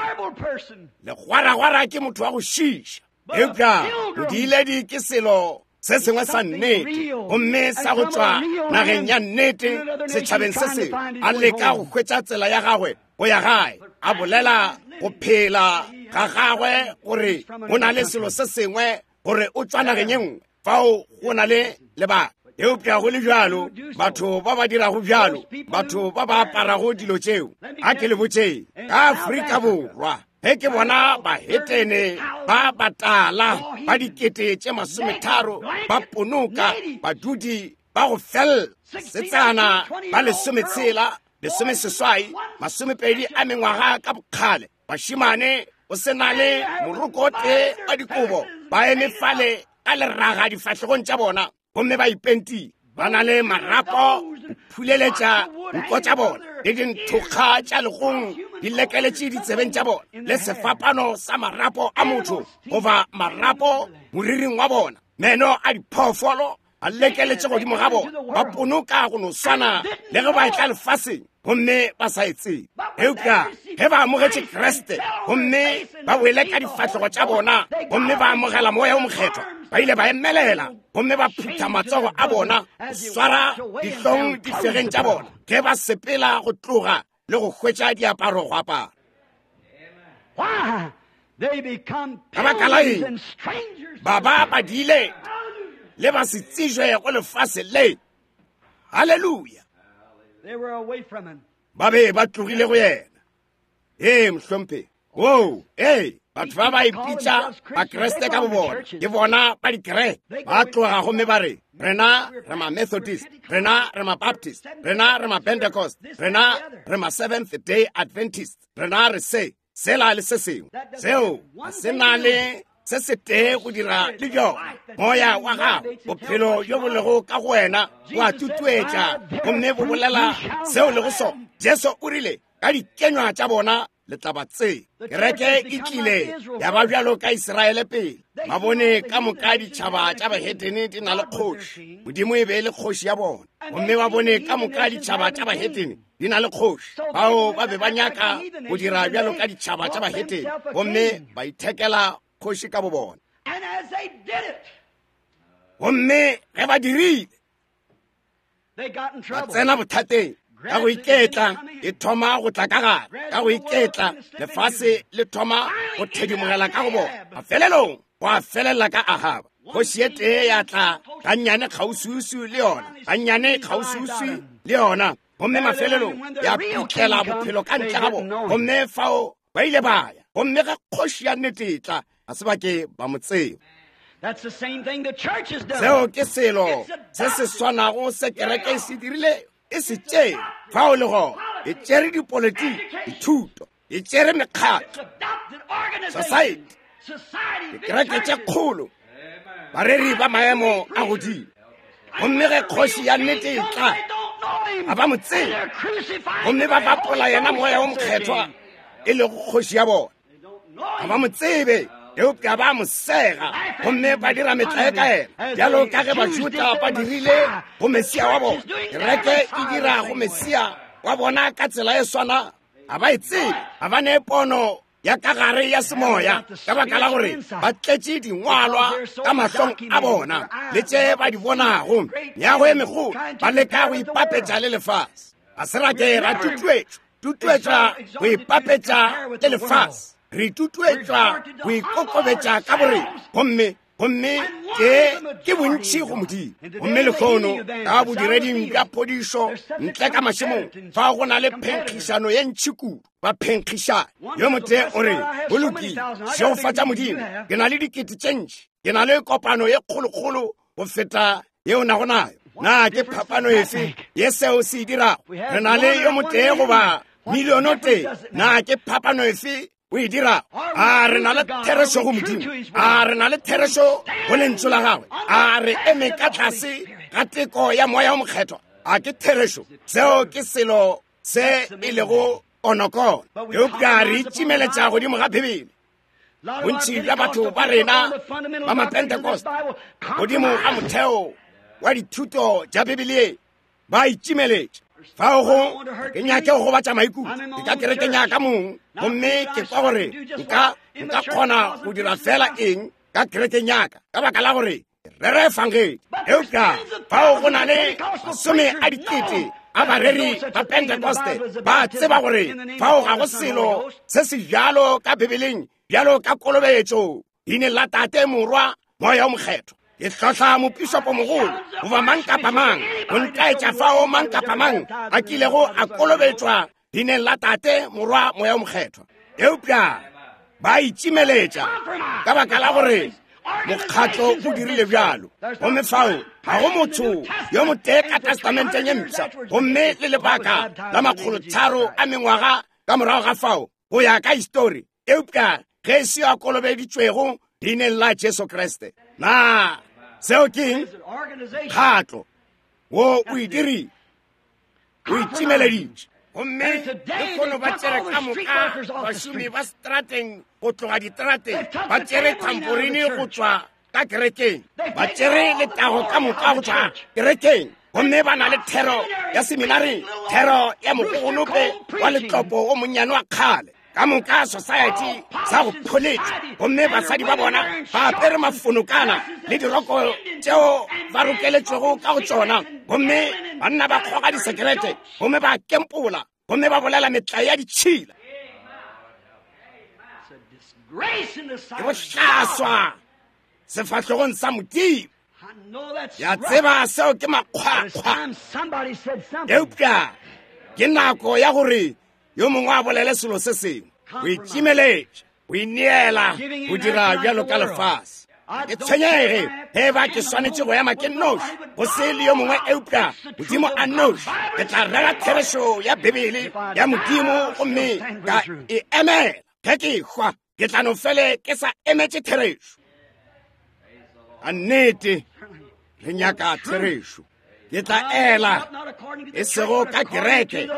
legwaragwara ke motho wa go šiša. Eupša bodiiledi ke selo se sengwe sa nnete, gomme sa go tšwa nageng ya nnete setšhabeng se sengwe, a leka go hwetša tsela ya gagwe go ya gae, a bolela go phela ga gagwe gore go na le selo se sengwe, gore o tšwa nageng ye nngwe, fao go na le lebaka. Eupša go le bjalo, batho ba ba dirago bjalo, batho ba ba aparago dilo tšeo, a ke le botšeng, ka Afrika Borwa, ge ke bona bahetene ba batala ba dikete tše masometharo ba ponoka badudi ba go fella setsana ba lesometshela, lesomeseswai, masomepedi a mengwaga ka bokgale, bašemane o se na le moroko o tee wa dikobo, ba eme fale ka leraga difahlegong tša bona gomme ba ipentile. Ba na le marapo go phuleletša nko tša bona, le dinthokga tša legong di lekeletše ditsebeng tša bona, le sefapano sa marapo a motho goba marapo moriring wa bona, meno a diphoofolo a lekeletše godimo ga bona. Ba ponoka go no swana le ge ba etla lefaseng gomme ba sa e tsebe. Eupša ge ba amogetše Kriste gomme ba wele ka difahlego tša bona gomme ba amogela Moya o Mokgethwa, ba ile ba emelela gomme ba phutha matsogo a bona go swara dihlong difegeng tša bona ge ba sepela go tloga le go hwetša diaparo go apara. Ka baka la eng? Ba ba badile le ba se tsejwe go lefase le. Haleluya. Ba be ba tlogile go yena. Ee, mohlomphegi. Woo, ee, batho ba ba ipitša Bakriste ka bobona, ke bona ba dikereke. Ba tloga gomme ba re, rena re ma-Methodist, rena re ma-Baptist, rena re ma-Pentecost, rena re ma-Seventh Day Adventist, rena re se, sela le se sengwe. Seo ga se na le se se tee go dira le bjona. Moya wa gago, bophelo bjo bo lego ka go wena, bo a tutuetša gomme bo bolela seo lego sona. Jesu o rile, ka dikenywa tša bona le tla ba tseba. Kereke e tlile ya ba bjalo ka Israele pele. Ba bone ka moka ditšhaba tša bahetene di na le kgoši. Modimo e be e le kgoši ya bona. Gomme ba bone ka moka ditšhaba tša bahetene di na le kgoši. Bao ba be ba nyaka go dira bjalo ka ditšhaba tša bahetene gomme ba ithekela kgoši ka bobona. Gomme ge ba dirile, ba tsena bothateng. Ka go iketla e thoma go tla ka gare, ka go iketla lefase le thoma go thedimogela ka go bona. Mafelelong go a felela ka Ahaba. Kgoši e tee ya tla gannyane kgauswiuswi le yona, gannyane kgauswiuswi le yona, gomme mafelelong ya putlela bophelo ka ntle ga bona. Gomme fao ba ile ba ya. Gomme ge kgoši ya nnete e tla, ga se ba ke ba mo tseba. Seo ke selo se se swanago se kereke e se dirile, e se tšere. Fao le gona e tšere dipolitiki, dithuto, e tšere mekgatlo, society, dikereke tše kgolo, bareri ba maemo a godimo. Gomme ge kgoši ya nnete e tla, ga ba mo tsebe, gomme ba bapola yena Moya o Mokgethwa e lego kgoši ya bona. Ga ba mo tsebe, eupša ba mo sega gomme ba dira metlae ka yena, bjalo ka ge Bajuda ba dirile go Mesia wa bona. Kereke e dira go Mesia wa bona ka tsela e swana. Ga ba e tsebe, ga ba ne pono ya ka gare ya semoya, ka baka la gore ba tletše dingwalwa ka mahlong a bona le tše ba di bonago, meago e megolo, ba leka go ipapetša le lefase. Ga se ra ke ra tutuetšwa, tutuetšwa go ipapetša le lefase. Re tutuetšwa go ikokobetša ka borena, gomme gomme ke ke bontši go Modimo. Gomme lekgono ka bodireding bja phodišo ntle ka mašemong, fa go na le phenkgišano ye ntši kudu. Ba phenkgišana. Yo motee o re, go lokile, šegofatša Modimo, ke na le dikete tše ntši, ke na le kopano ye kgolokgolo go feta yeo nago nayo. Na ke phapano efe ye seo se e dirago? Re na le yo motee goba miliono tee. Na ke phapano efe o e dirago? A re na le therešo go Modimo? A re na le therešo go lentšu la gagwe? A re eme ka tlase ga teko ya Moya o Mokgethwa? A ke therešo? Seo ke selo se e lego konokono. Eupša re itšimeletša godimo ga Bibele. Bontši bja batho ba rena ba Mapentecost godimo ga motheo wa dithuto tša Bibele ba itšimeletša. Fao go ke nyake go gobatša maikutlo, ke ka kerekeng ya ka mong, gomme ke kwa gore nka nka kgona go dira fela eng ka kerekeng ya ka, ka baka la gore rere efangedi. Eupša fao go na le masome a dikete a bareri ba Pentecoste ba tseba gore fao ga go selo se se bjalo ka Bibeleng bjalo ka kolobetšo leineng la Tate, Morwa, Moya o Mokgethwa. Ke hlohla mopišopo mogolo goba mang kapa mang go ntaetša fao mang kapa mang a kilego a kolobetšwa leineng la Tate, Morwa, Moya o Mokgethwa. Eupša ba itšimeletša ka baka la gore mokgatlo o dirile bjalo. Gomme fao ga go motho yo motee ka testamenteng ye mpsha, gomme le lebaka la makgolotharo a mengwaga ka morago ga fao go ya ka histori, eupša ge se a kolobeditšwego leineng la Jesu Kriste. Na seo ke eng? Mokgatlo. Wo o e dirile, o itšimeleditše. Gomme lehono ba tšere ka moka bašomi ba strateng go tloga diterateng, ba tšere thamporini go tšwa ka kerekeng, ba tšere letago ka moka go tšwa kerekeng. Gomme ba na le thero ya seminari, thero ya mogogonope wa letlopo o monnyane wa kgale, ka moka society sa go pholetša. Gomme basadi ba bona ba apere mafonokana le diroko tšeo ba rokeletšwego ka go tšona. Gomme banna ba kgoga disekerete, gomme ba kempola, gomme ba bolela metlae ya ditšhila. Ke bohlaswa sefahlogong sa Modimo. Ya tseba seo ke makgwakgwa. Eupša ke nako ya gore yo mongwe a bolele selo se sengwe. O itšimeletša, o ineela go dira bjalo ka lefase. Ke tshwenyege ge ba ke swanetše go ema ke nnoši, go se le yo mongwe eupša Modimo a nnoši. Ke tla rera therešo ya Bibele ya Modimo gomme ka e emela. Ge ke hwa, ke tla no fele ke sa emetše therešo. A nnete, re nyaka therešo. Ke tla ela e sego ka kereke,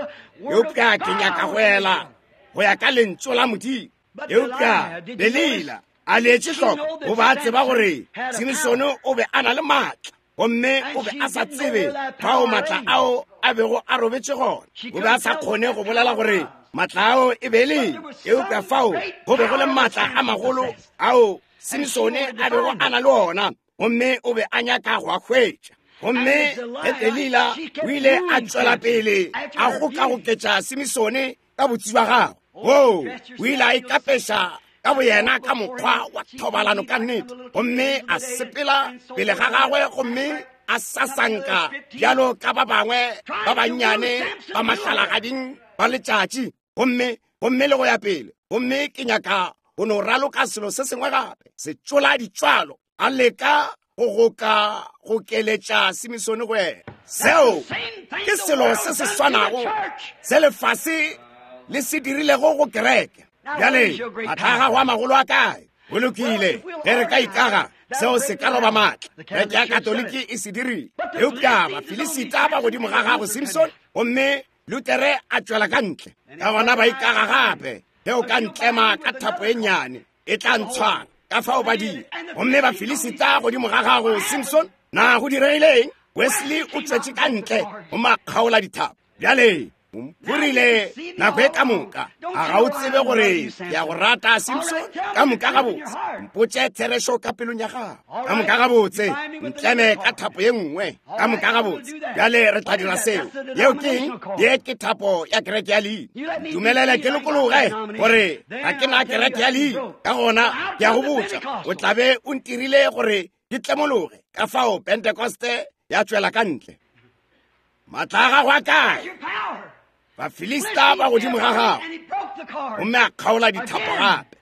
eupša ke nyaka go ela go ya ka lentšu la Modimo. Eupša Delila a leetše hloko, o ba tseba gore Simsone o be a na le maatla, gomme o be a sa tsebe fao maatla ao a bego a robetše gona. O be a sa kgone go bolela gore maatla ao e be le, eupša fao go be go le maatla a magolo ao Simsone a bego a na le ona, gomme o be a nyaka go a hwetša. Gomme ge Delila o ile a tšwela pele a gokagoketša Simsone ka botsi bja gagwe, woo o ile a ikapeša ka boyena ka mokgwa wa thobalano ka nnete, gomme a sepela pele ga gagwe gomme a sasanka bjalo ka ba bangwe ba bannyane ba mahlalagading ba letšatši, gomme gomme le go ya pele. Gomme ke nyaka go no raloka selo se sengwe gape, se tšola ditšwalo, a leka go goka go keletša Simsone go yena. Seo ke selo se se swanago se lefase le se dirilego go kereke. Bjale maatla a gago a magolo a kae? Go lokile, ge re ka ikaga, seo se ka roba maatla. Kereke ya Katoliki e se dirile, eupša Bafilisita ba godimo ga gago Simson, gomme Lutere a tšwela ka ntle. Ka gona ba ikaga gape, ge o ka ntlema ka thapo e nnyane, e tla ntshwara. Ka fao ba dira. Gomme Bafilisita godimo ga gago Simson, na go diregileng? Wesley o tšwetše ka ntle gomme a kgaola dithapo. Bjale o rile nako e ka moka, a ga o tsebe gore ke a go rata Simson? Ka moka gabotse, mpotše therešo ka pelong ya gago. Ka moka gabotse, ntleme ka thapo ye nngwe. Ka moka gabotse, bjale re tla dira seo. Yeo ke eng? Ye ke thapo ya kereke ya leina. Ntumelele ke lokologe gore ga ke na kereke ya leina. Ka gona ke a go botša, o tla be o ntirile gore ke tlemologe. Ka fao Pentekoste ya tšwela ka ntle. Maatla a gago a kae? Bafilista ba godimo ga gago, gomme a kgaola dithapo gape.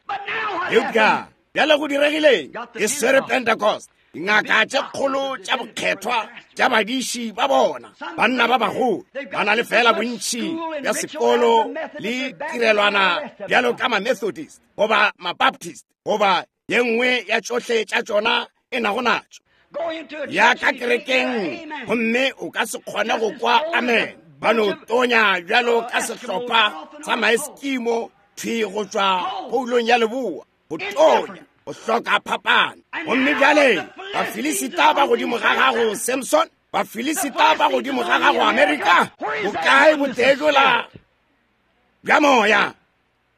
Eupša bjale go diregileng? E swere Pentecost. Dingaka tše kgolo tša bokgethwa tša badiši ba bona, banna ba bagolo, ba na le fela bontši bja sekolo le tirelwana bjalo ka ma-Methodist goba ma-Baptist goba ye nngwe ya tšohle tša tšona e nago natšo. Ya ka kerekeng, gomme o ka se kgone go kwa amen. Ba no tonya bjalo ka sehlopha sa maeskimo thwi go tšwa poulong ya leboa, go tonya, go hloka phapano. Gomme bjale Bafilisita ba godimo ga gago Samson, Bafilisita ba godimo ga gago Amerika. Bokae botee bjola bja moya?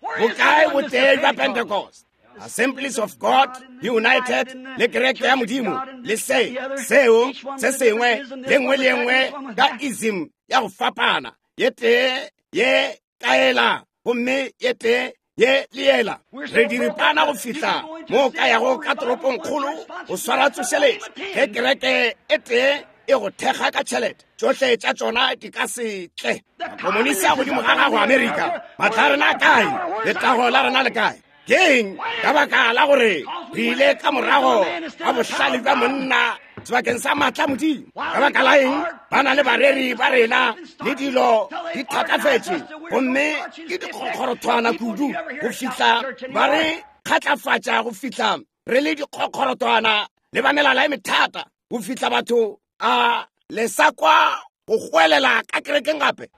Bokae botee bja Pentecost? Assemblies of God United le kereke ya Modimo le se seo se sengwe le nngwe le nngwe ka ism ya go fapana, ye tee ye kaela gomme ye tee ye le yela. Re diripana go fihla mo ka yago ka toropong kgolo go swara tsošeletšo. Ge kereke e tee e go thekga ka tšhelete, tšohle tša tšona di ka se tle. Makomonisi a godimo ga gago Amerika, maatla a rena a kae? Letago la rena le kae? Keng ka baka la gore re ile ka morago ga bohlale bja monna sebakeng sa maatla Modimo? Ka baka la eng ba na le bareri ba rena le dilo di thatafetše gomme ke dikgokgorothwana kudu go fihla ba re kgatlafatša, go fihla re le dikgokgorothwana le ba melala e methata, go fihla batho a Le sa kwa go goelela ka kerekeng gape?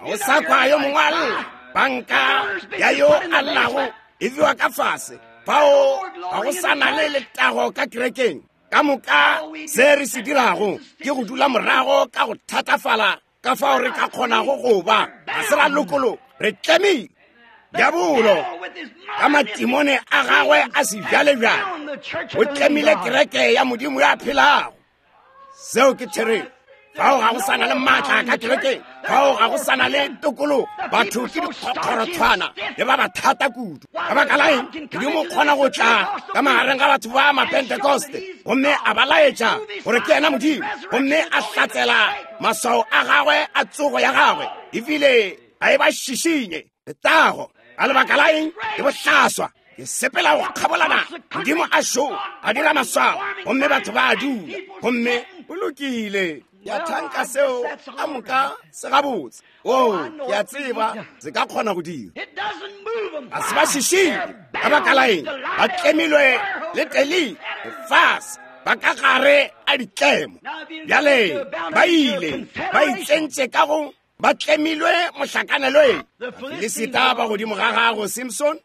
Ga o sa kwa yo mongwe a lla. Banka ya yo a llago e bewa ka fase. Fao ga go sa na le letago ka kerekeng. Ka moka se re se dirago ke go dula morago ka go thatafala ka fao re ka kgonago go ba. Ga se ra lokologa, re tlemile. Diabolo ka matimone a gagwe a sebjalebjale o tlemile kereke ya Modimo ya phelago. Seo ke therešo. Fao ga go sa na le maatla ka kerekeng. Fao ga go sa na le tokologo. Batho ke dikgokgorothwana le ba ba thata kudu. Ka baka la eng? Modimo o kgona go tla ka magareng ga batho ba Mapentekoste gomme a ba laetša gore ke yena Modimo, gomme a hlatsela maswao a gagwe a tsogo ya gagwe, ebile a e ba šišinye letago. Ka lebaka la eng? Ke bohlaswa. Ke sepela go kgabolana. Modimo a šo a dira maswao gomme batho ba a dula, gomme o lokile. Ke a thanka seo ka moka se gabotse. O, ke a tseba se ka kgona go dira. Ga se ba šišinye. Ka baka la eng? Ba tlemilwe le teli lefase, ba ka gare a ditlemo. Bjale ba ile ba itsentše ka go ba tlemilwe mohlakanelweng. Filisita ba godimo ga gago, Simpson.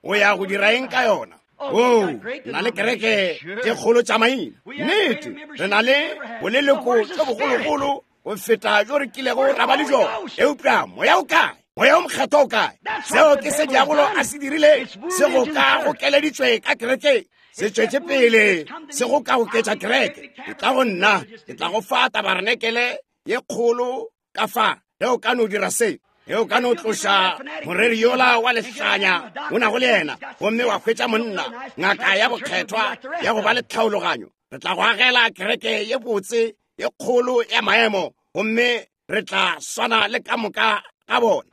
O ya go dira eng ka yona? O, na le kereke tše kgolo tša maina. Nnete, re na le boleloko tše bogologolo go feta jo re kilego ra ba le jona. Eupša moya o kae? Moya o mokgethwa o kae? Seo ke se diabolo a se dirile. Se go ka gokeleditšwe ka kerekeng. Se tšwetše pele se go ka goketša kereke. Ke tla go nna, ke tla go fa tabarenekele ye kgolo ka fa. Ge o ka no dira se, ge o ka no tloša moreri yola wa lehlanya o nago le yena, gomme wa hwetša monna ngaka ya bokgethwa ya go ba le tlhaologanyo, re tla go agela kereke ye botse ye kgolo ya maemo, gomme re tla swana le ka moka ga bona.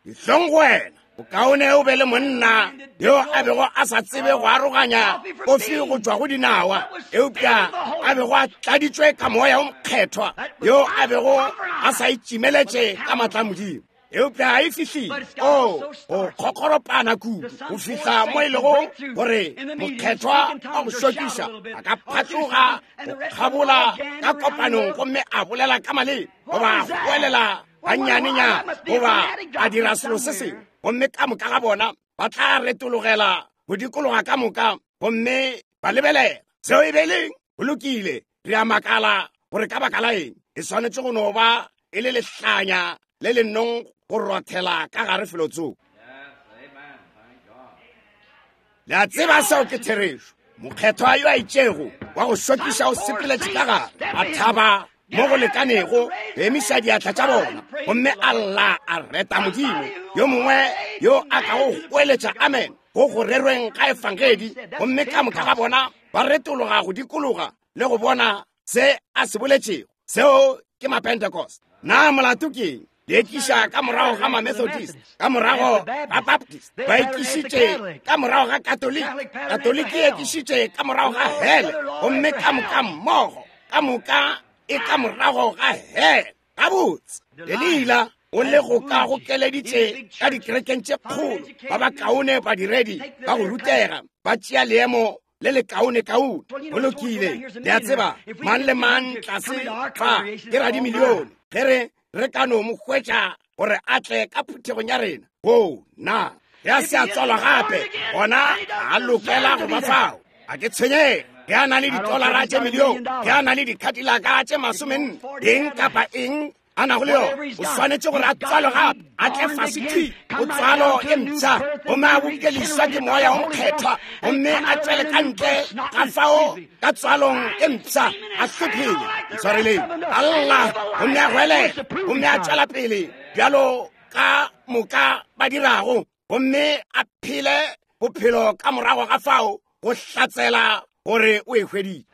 Dihlong go wena. O kaone o be le monna yo a bego a sa tsebe go aroganya kofi go tšwa go dinawa, eupša a bego a tladitšwe ka moya o mokgethwa, yo a bego a sa itšimeletše ka maatla a Modimo. Eupša a e fihlile o go kgokgoropana kudu go fihla mo e lego gore mokgethwa wa go šokiša a ka phatloga go kgabola ka kopanong gomme a bolela ka maleme goba a goelela ganyanenyana goba a dira selo se sengwe, gomme ka moka ga bona ba tla retologela go dikologa ka moka gomme ba lebelela. Seo e be leng? Go lokile, re a makala gore ka baka la eng. E swanetše go no ba e le lehlanya le le nong go rothela ka gare felotsoko. Le a tseba seo ke therešo. Mokgethwa yo a itšego wa go šokiša o sepeletše ka gare, a thaba mo go lekanego go emiša diatla tša bona, gomme a lla a reta Modimo. Yo mongwe yo a ka go goeletša amen go go rerweng ga efangedi, gomme ka moka ga bona ba retologa go dikologa le go bona se a se boletšego. Seo ke Mapentecost. Na molato ke eng? Le ekiša ka morago ga Mamethodist, ka morago ga Baptist, ba ekišitše ka morago ga Katoliki, Katoliki e ekišitše ka morago ga hele, gomme ka moka mmogo, ka moka e ka morago ga hele. Gabotse, Delila o le go ka gokeleditše ka dikerekeng tše kgolo, ba ba kaone badiredi ba go rutega, ba tšea leemo le le kaone kaone. Go lokile, le a tseba, mang le mang tlase fa ke radimilione. Ge re re ka no mo hwetša gore a tle ka phuthegong ya rena, o na ge a se a tswalwa gape, gona a lokela go ba fao. A ke tshwenyege ge a na le ditolara tše milione, ge a na le dikhatilaka tše masomenne, eng kapa eng a nago le yona, o swanetše gore a tswalwe gape, a tle fase thwi go tswalo e mpsha, gomme a bokeliswa ke moya o mokgethwa, gomme a tšwele ka ntle ga fao ka tswalong e mpsha, a hlophile. Ntshwareleng, a lla gomme a goelela, gomme a tšwela pele bjalo ka moka ba dirago, gomme a phele bophelo ka morago ga fao go hlatsela gore o e hweditše.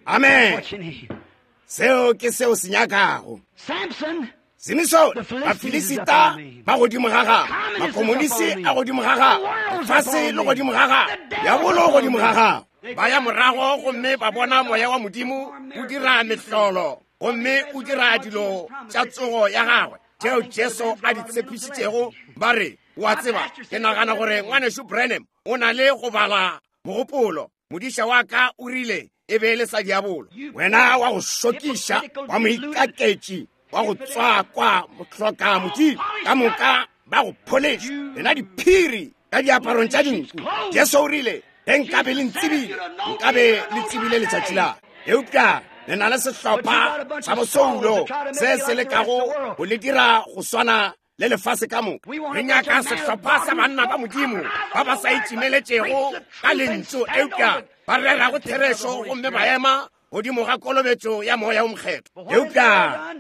Amen. Seo ke seo se nyakago. Simson, Bafilisita ba godimo ga gagwe, makomonisi a godimo ga gagwe, lefase le godimo ga gagwe, diabolo godimo ga gagwe. Ba ya morago gomme ba bona moya wa Modimo o dira mehlolo, gomme o dira dilo tša tsogo ya gagwe tšeo Jesu a di tshepišitšego. Ba re, wa tseba, ke nagana gore ngwanešu Branham o na le go bala mogopolo. Modiša wa ka o rile e be e le sa diabolo. Wena wa go šokiša, wa moikaketši, wa go tswakwa, mohloka Modimo, ka moka ba go pholeša, lena diphiri ka diaparong tša dinku. Jesu o rile, ge nkabe le ntsebile, nkabe le tsebile letšatši la. Eupša le na le sehlopha sa bosoulo se se lekago go le dira go swana le lefase ka moka. Re nyaka sehlopha sa banna ba Modimo ba ba sa itšimeletšego ka lentšu, eupša ba rerago therešo gomme ba ema godimo ga kolobetšo ya moya o mokgethwa. Eupša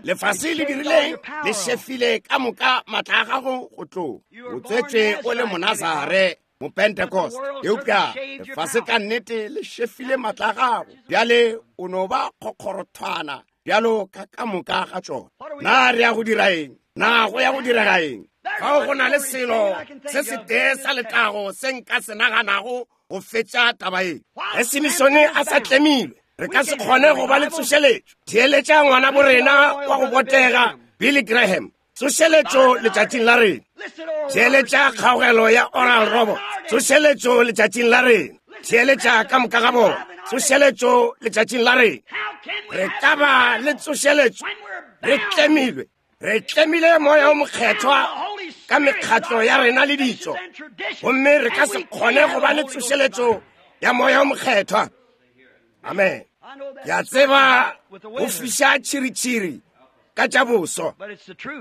lefase le dirileng? Le šefile ka moka matla a gago go tloga. O tswetšwe o le Monazare, Mopentecost, eupša lefase ka nnete le šefile matla a gago. Bjale o no ba kgokgorothwana bjalo ka ka moka ga tšona. Na re ya go dira eng? Na go ya go direga eng? Fao go na le selo se setee sa letago se nka se naganago go fetša taba ye. Ge Simisone a sa tlemilwe, re ka se kgone go ba le tsošeletšo. Theeletša ngwana bo rena wa go botega Billy Graham, tsošeletšo letšatšing la rena. Theeletša kgaogelo ya Oral Roberts, tsošeletšo letšatšing la rena. Theeletša ka moka ga bona, tsošeletšo letšatšing la rena. Re ka ba le tsošeletšo re tlemilwe. Re tlemile moya o mokgethwa ka mekgatlo ya rena le ditšo, gomme re ka se kgone go ba le tsošeletšo ya moya o mokgethwa. Amen. Ke a tseba go fiša tšhiritšhiri ka tša boso,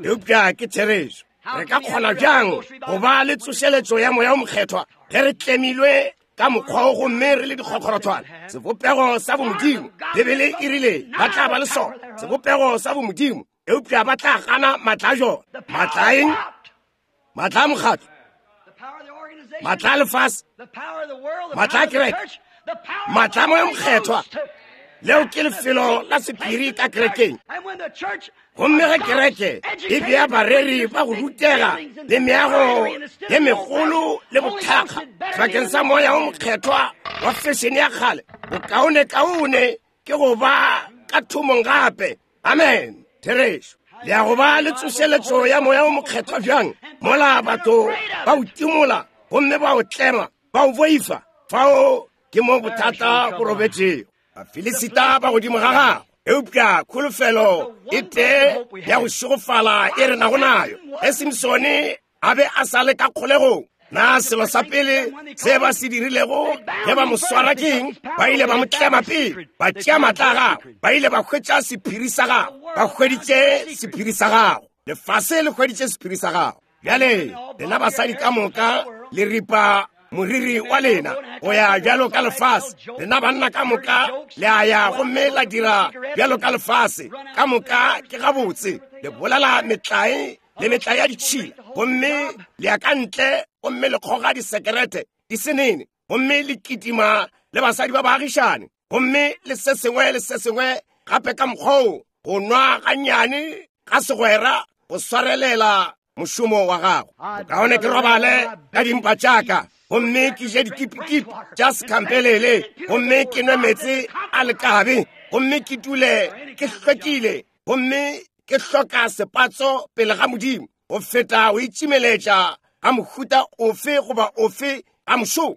eupša ke therešo. Re ka kgona bjang go ba le tsošeletšo ya moya o mokgethwa ge re tlemilwe ka mokgwa o gomme re le dikgokgorothwana? Sebopego sa bomodimo, Bibele e rile ba tla ba le sona, sebopego sa bomodimo, eupša ba tla gana matla a jona. Matla a eng? Matla a mokgatlo, matla a lefase, matla a kereke, matla a moya mokgethwa. Leo ke lefelo la sephiri ka kerekeng. Gomme ge kereke e bea bareri ba go rutega le meago ye megolo le bothakga bakeng sa moya o mokgethwa wa fešene ya kgale, bokaonekaone ke go ba ka thomong gape. Amen. Therešo. Le ya go ba le tsošeletšo ya moya o mokgethwa bjang mola batho ba o timola gomme ba o tlema, ba o boifa? Fao ke mo bothata bo robetšego. Bafilisita ba godimo ga gago, eupša kholofelo e tee ya go šegofala e re nago nayo. Ge Simsone a be a sa le ka kgolegong, na selo sa pele se ba se dirilego ge ba mo swara ke eng? Ba ile ba mo tlema pele, ba tšea matla a gagwe, ba ile ba hwetša sephiri sa gagwe. Ba hweditše sephiri sa gago. Lefase le hweditše sephiri sa gago. Bjale lena basadi ka moka le ripa moriri wa lena go ya bjalo ka lefase. Lena banna ka moka le a ya gomme la dira bjalo ka lefase. Ka moka ke gabotse. Le bolela metlae le metlae ya ditšhila, gomme le ya ka ntle gomme le kgoga disekerete di senene, gomme le kitima le basadi ba baagišane, gomme le se sengwe le se sengwe gape ka mokgwa go nwa gannyane ga segwera go swarelela mošomo wa gago. Bokaone ke robale ka dimpa tšaka, gomme ke je dikipikipi tša sekhampelele, gomme ke nwe meetse a lekabe, gomme ke dule ke hlwekile, gomme ke hloka sepatso pele ga Modimo, go feta go itšimeletša ga mohuta ofe goba ofe ga mošomo.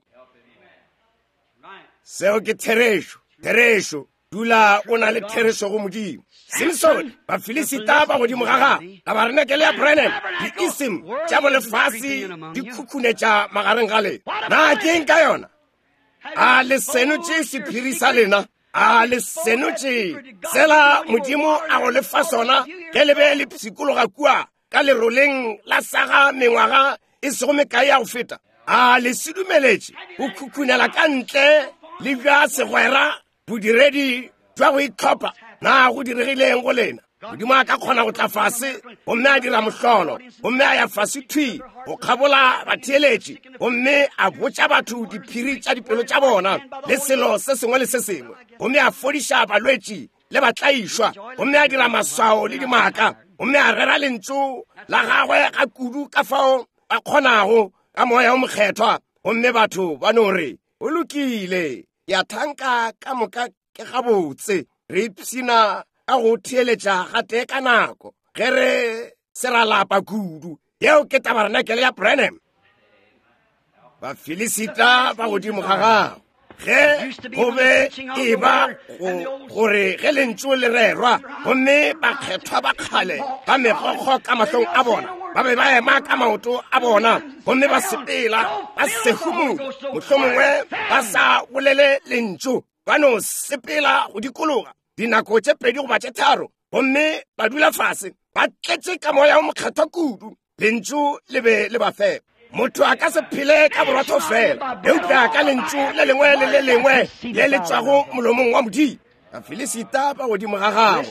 Seo ke therešo. Therešo. Dula o na le therešo go Modimo. Simsone, Bafilisita ba godimo ga gago, tabarenekele ya Branham, di-ism tša bolefase di khukhunetša magareng ga lena. Na ke eng ka yona? A le senotše sephiri sa lena? A le senotše sela Modimo a go lefa sona ge le be le pshikologa kua ka leroleng la saga mengwaga e sego mekae ya go feta? A le se dumeletše go khukhunela ka ntle le bja segwera bodiredi jwa go itlhopha? Na go diregileng go lena? Modimo a ka kgona go tla fase gomme a dira mohlolo, gomme a ya fase thwi go kgabola batheeletši, gomme a botša batho diphiri tša dipelo tša bona le selo se sengwe le se sengwe, gomme a fodiša balwetši le batlaišwa, gomme a dira maswao le dimaka, gomme a rera lentšu la gagwe ga kudu ka fao ba kgonago ka moya o mokgethwa, gomme batho ba no re o lokile, ya thanka ka moka ke gabotse, re ipshina ka go theeletša gatee ka nako ge re se ra lapa kudu. Yeo ke tabarenakele ya Branham. Bafilisita ba godimo ga gago. Ge go be e ba gore ge lentšu le rerwa, gomme bakgethwa ba kgale ba megokgo ka mahlong a bona, ba be ba ema ka maoto a bona, gomme ba sepela ba sehumula, mohlomongwe ba sa bolele lentšu, ba no sepela go dikologa dinako tše pedi goba tše tharo, gomme ba dula fase ba tletše ka moya o mokgethwa kudu. Lentšu le be le ba fepa. Motho a ka se phele ka borotho fela, eupša ka lentšu le lengwe le le lengwe le le tšwago molomong wa Modimo. Bafilisita ba godimo ga gago,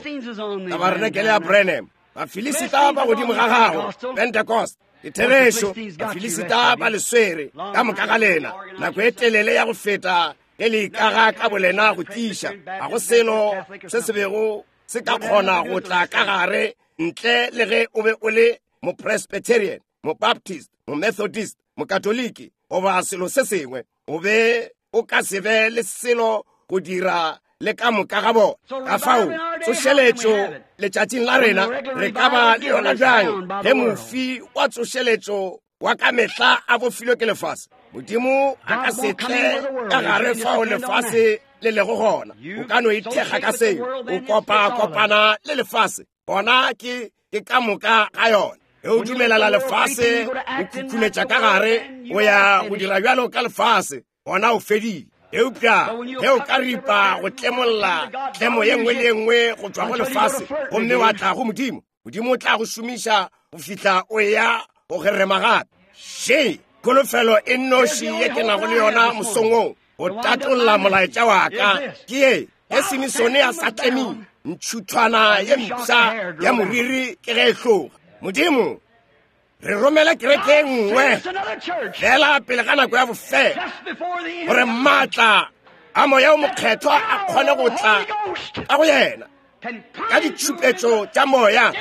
tabarenekele ya Branham. Bafilisita ba godimo ga gago, Pentecost. Ke therešo, Bafilisita ba le swere ka moka ga lena nako e telele ya go feta ge le ikaga ka bolena go tiiša. Ga go selo se se bego se ka kgona go tla ka gare ntle le ge o be o le mopresbyterian, mobaptist, momethodist, mokatoliki goba selo se sengwe. O be o ka se be le selo go dira le ka moka ga bona. Ka fao tsošeletšo letšatšing la rena re ka ba le yona bjang ge mofi wa tsošeletšo wa ka mehla a bofilwe ke lefase? Modimo a ka se tle ka gare fao lefase le lego gona. O ka no ithekga ka seo, o kopa-kopana le lefase, gona ke ke ka moka ga yona. Ge o dumelela lefase o khukhuletša ka gare, o ya go dira bjalo ka lefase, gona o fedile. Eupša ge o ka ripa go tlemolla tlemo ye nngwe le ye nngwe go tšwa go lefase, gomme wa tla go Modimo, Modimo o tla go šomiša go fihla o ya go gerema gape. Še kholofelo e nnoši ye ke nago le yona mosong wo go tatolla molaetša wa ka ke ye: ge Simisone a sa tlemile, ntšhuthwana ye mpsha ya moriri ke ge e hloga. Modimo, re romele kereke e nngwe fela pele ga nako ya bofelo, gore maatla a moya o mokgethwa a kgone go tla ka go yena ka ditšhupetšo tša moya,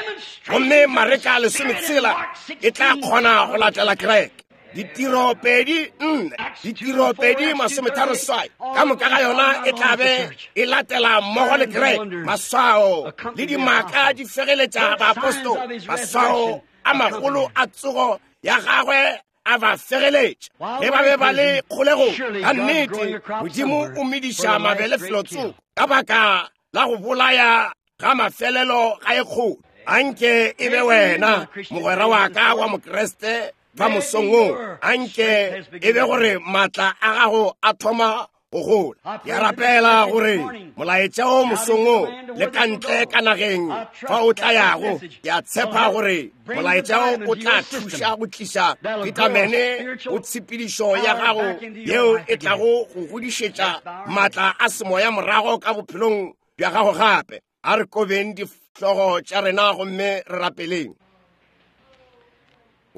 gomme Mareka lesometshela e tla kgona go latela kereke. Ditiro pedi nne, ditiro pedi masometharo seswai, ka moka ga yona e tla be e latela mmogo le kereke. Maswao le dimaka di fegeletša baapostola, maswao a magolo a tsogo ya gagwe a ba fegeletša ge ba be ba le kgolegong. Ka nnete Modimo o mediša mabele felotsoko ka baka la go bolaya ga mafelelo ga e kgolo. Anke e be wena mogwera wa ka wa Mokriste ba mosong wo, anke e be gore maatla a gago a thoma go gola. Ke a rapela gore molaetša o mosong wo le ka ntle ka nageng fa o tla yago, ke a tshepa gore molaetša o o tla thuša go tliša vitamene go tshepedišo ya gago yeo e tlago go godišetša maatla a semoya morago ka bophelong bja gago gape. A re kobeng dihlogo tša rena gomme re rapeleng.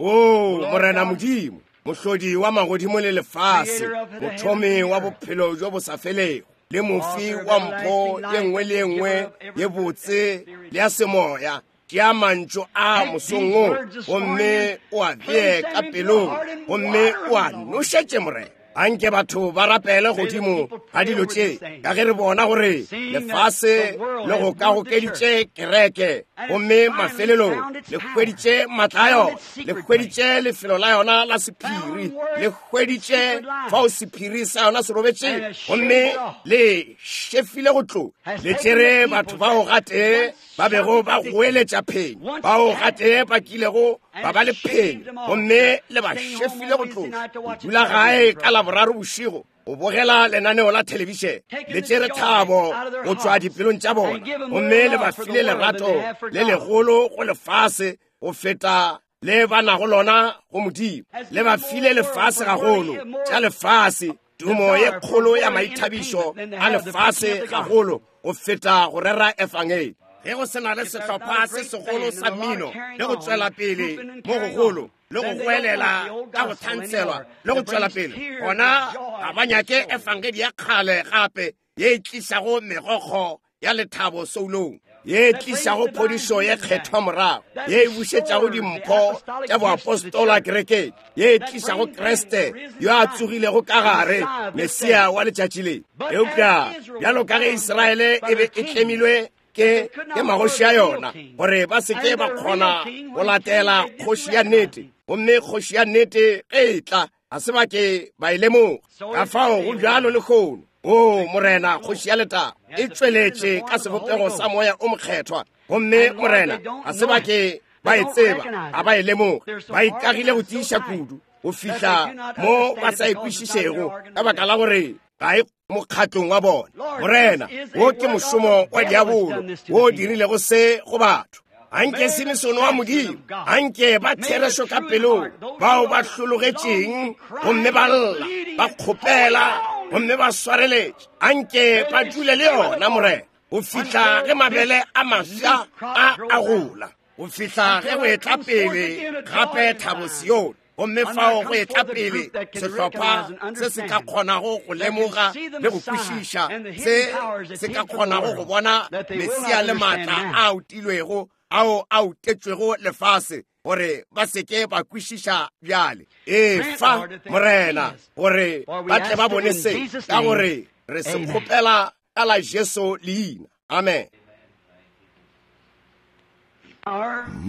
O Morena Modimo, mohlodi wa magodimo le lefase, mothomi wa bophelo bjo bo sa felego, le mofi wa mpho ye nngwe le ye nngwe ye botse le ya semoya, tšea mantšu a mosong wo gomme o a bee ka pelong, gomme o a nošetše Morena. Anke batho ba rapele godimo ga dilo tše, ka ge re bona gore lefase le go ka gokeditše kereke, gomme mafelelong le hweditše maatla a yona, le hweditše lefelo la yona la sephiri, le hweditše fao sephiri sa yona se robetše, gomme le šefile go tloga. Le tšere batho bao gatee ba bego ba goeletša phenyo, bao gatee ba kilego ba ba le phenyo, gomme le ba šefile go tloga. Go dula gae ka Laboraro bošego o bogela lenaneo la thelebišene, le tšere thabo go tšwa dipelong tša bona, gomme le ba file lerato le legolo go lefase go feta le ba nago lona go Modimo. Le ba file lefase gagolo tša lefase, tumo ye kgolo ya maithabišo a lefase gagolo go feta go rera efangeli. Ge go se na le sehlopha se segolo sa mmino le go tšwela pele mo gogolo le go goelela ka go thantshelwa le go tšwela pele, gona ga ba nyake efangedi ya kgale gape ye e tlišago megokgo ya lethabo soulong, ye e tlišago phodišo ye kgethwa morago, ye e bušetšago dimpho tša boapostola kerekeng, ye e tlišago Kriste yo a tsogilego ka gare, Mesia wa letšatši le. Eupša bjalo ka ge Israele e be e tlemilwe ke ke magoši a yona gore ba se ke ba kgona go latela kgoši ya nnete, gomme kgoši ya nnete ge e tla A se ba ke ba e lemoga. Ka fao go bjalo lehono. O Morena kgoši ya letago e tšweletše ka sebopego sa moya o mokgethwa, gomme Morena ga se ba ke ba e tseba, ga ba e lemoga. Ba ikagile go tiiša kudu go fihla mo ba sa e kwešišego ka baka la gore ga e mokgatlong wa bona. Morena, wo ke mošomo wa diabolo wo o dirilego se go batho. Anke Simisone wa Modimo, anke ba therešo ka pelong, bao ba hlologetšeng gomme ba lla, ba kgopela gomme ba swareletše, anke ba dule le yona Morena go fihla ge mabele a mafsa a a gola, go fihla ge go etla pele gape thabo Sione, gomme fao go etla pele sehlopha se se ka kgonago go lemoga le go kwešiša, se se ka kgonago go bona Mesia le maatla a utilwego ao a utetšwego lefase, gore ba se ke ba kwešiša bjale. Efa Morena gore ba tle ba bone se, ka gore re se kgopela ka la Jesu leina. Amen.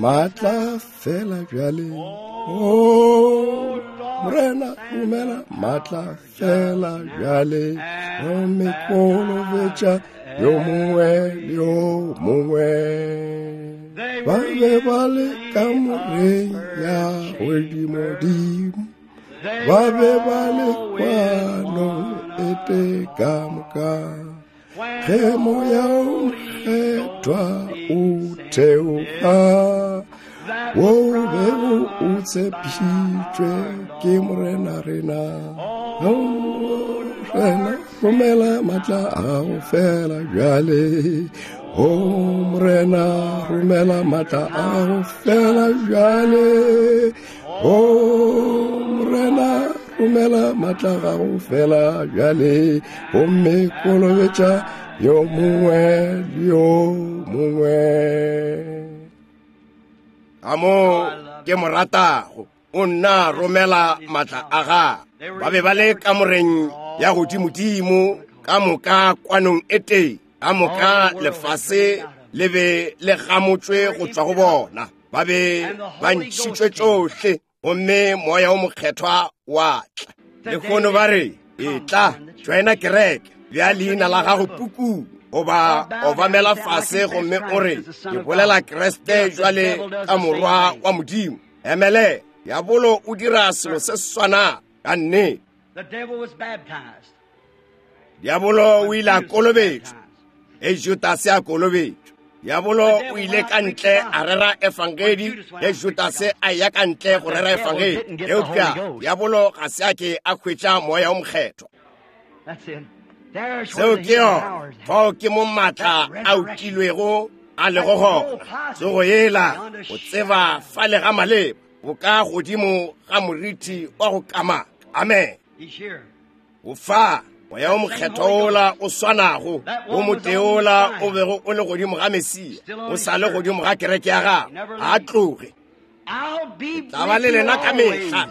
Matla fela bjale, o Morena romela matla fela bjale, gomme kolobetša yo mongwe le yo mongwe. Ba be ba le kamoreng ya godimodimo, ba be ba le kwanong e tee ka moka, ge moya o mokgethwa o theoga, wo bego o tshepišitšwe ke Morena rena. Morena romela matla a gago fela bjale, o Morena romela matla a gago fela bjale, o Morena romela matla a gago fela bjale, gomme kolobetša yo mongwe le yo mongwe. Ka mo ke mo ratago, o nna romela matla a gagwe. Ba be ba le kamoreng ya godimodimo ka moka kwanong e tee, ka moka lefase le be le gamotšwe go tšwa go bona. Ba be ba ntšhitšwe tšohle, gomme moya o mokgethwa wa tla. Lehono ba re, etla joina kereke, bja leina la gago pukung, goba obamela fase gomme o re, ke bolela Kriste jwale ka morwa wa Modimo. Emele, diabolo o dira selo se swana ka nnete. Diabolo o ile a kolobetšwa, e Judase a kolobetšwa. Diabolo o ile ka ntle a rera efangedi, ge Judase a ya ka ntle go rera efangedi. Eupša diabolo ga se a ke a hwetša moya o mokgethwa. Seo ke yona, fao ke mo maatla a utilwego a lego gona. Tsogo yela o tseba fale ga maleba, bo ka godimo ga moriti wa go kamaka. Amen. O fa moya o mokgethwa ola o swanago, o moteola o bego o le godimo ga Mesia, o sa le godimo ga kereke ya gagwe, ga a tloge. Tla ba le lena ka mehla,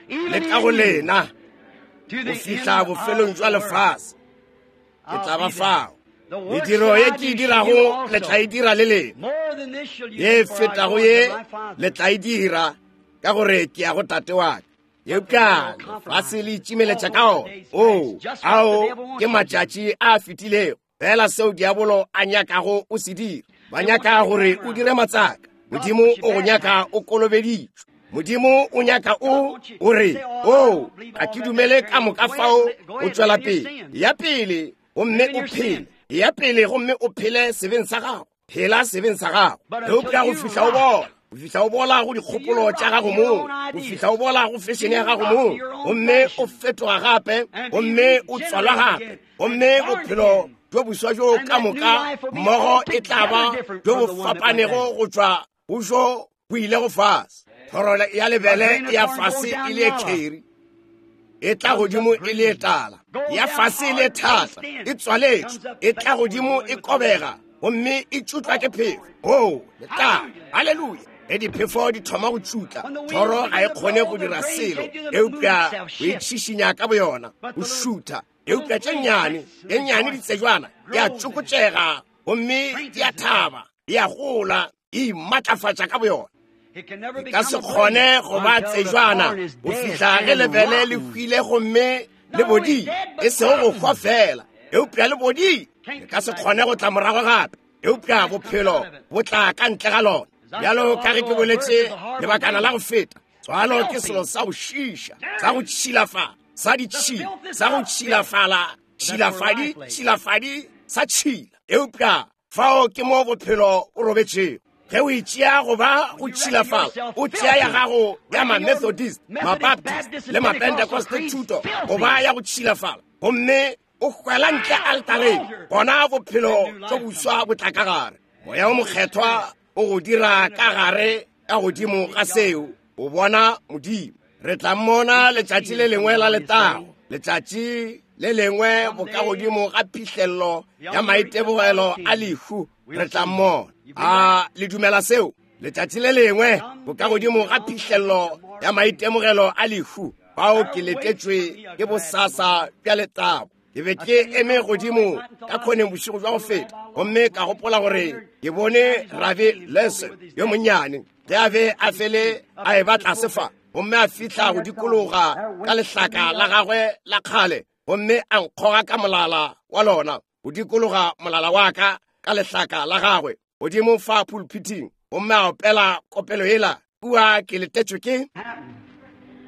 le ka go lena go fihla bofelong jwa lefase. Ke tla ba fao. Mediro ye ke e dirago le tla e dira le lena, ye fetago ye le tla e dira, ka gore ke ya go Tate wa ka. Eupša lefase le itšimeletša ka ona. O ao ke matšatši a fetilego, fela seo diabolo a nyakago o se dira. Ba nyaka gore o dire matsaka. Modimo o go nyaka o kolobeditšwe. Modimo o nyaka o o re, o ga ke dumele ka moka fao o tšwela pele. Ya pele gomme o phele, ya pele gomme o phele sebeng sa gago, phela sebeng sa gago. Eupša go fihla o bola, go fihla o bola go dikgopolo tša gago mong, go fihla o bola go fešene ya gago mong, gomme o fetoga gape, gomme o tswalwa gape, gomme bophelo bjo boswa bjo ka moka mmogo e tla ba bjo bo fapanego go tšwa go bjo bo ilego fase. Thoro ya lebele ya fase e le kheri, e tla godimo e le tala, ya fase e le thata, e tswaletšwe, e tla godimo e kobega, gomme e tšutlwa ke phefo. O letla, haleluya. Ge diphefo di thoma go tšutla, thoro ga e kgone go dira selo eupša go itšhišinya ka boyona, go šutha. Eupša tše nnyane, tše nnyane ditsejwana di a tšokotšega gomme di a thaba, di a gola, e imatlafatša ka boyona. E ka se kgone go ba tsejwana go fihla ge lebele le hwile gomme le bodile, e sego go hwa fela, eupša le bodile. E ka se kgone go tla morago gape, eupša bophelo bo tla ka ntle ga lona. Bjalo ka ge ke boletše lebakana la go feta, tswalo ke selo sa go šiša, sa go tšhilafala, sa ditšhila, sa go tšhilafala, tšhilafadi, tšhilafadi, sa tšhila. Eupša fao ke mo bophelo o robetšego. Ge o itšea go ba go tšhilafala, o tšea ya gago ya ma-Methodist, ma-Baptist le ma-Pentecost thuto go ba ya go tšhilafala, gomme o hwela ntle altareng, gona bophelo tšo boswa bo tla ka gare. Moya o mokgethwa o go dira ka gare ka godimo ga seo, o bona Modimo. Re tla mmona letšatši le lengwe la letago, letšatši le lengwe bokagodimo ga phihlello ya maitemogelo a lehu, re tla mmona. A le dumela seo? Letšatši le lengwe bokagodimo ga phihlello ya maitemogelo a lehu, bao ke letetšwe ke bosasa bja letago. Ke be ke eme godimo ka khoneng bošego bja go feta, gomme ka gopola gore ke bone Rabi Lesson yo monnyane ge a be a fele a e ba tlase fa, gomme a fihla go dikologa ka lehlaka la gagwe la kgale, gomme a nkgoga ka molala wa lona go dikologa molala wa ka ka lehlaka la gagwe godimo fa pulpiting, gomme a opela kopelo yela kua ke letetšwe ke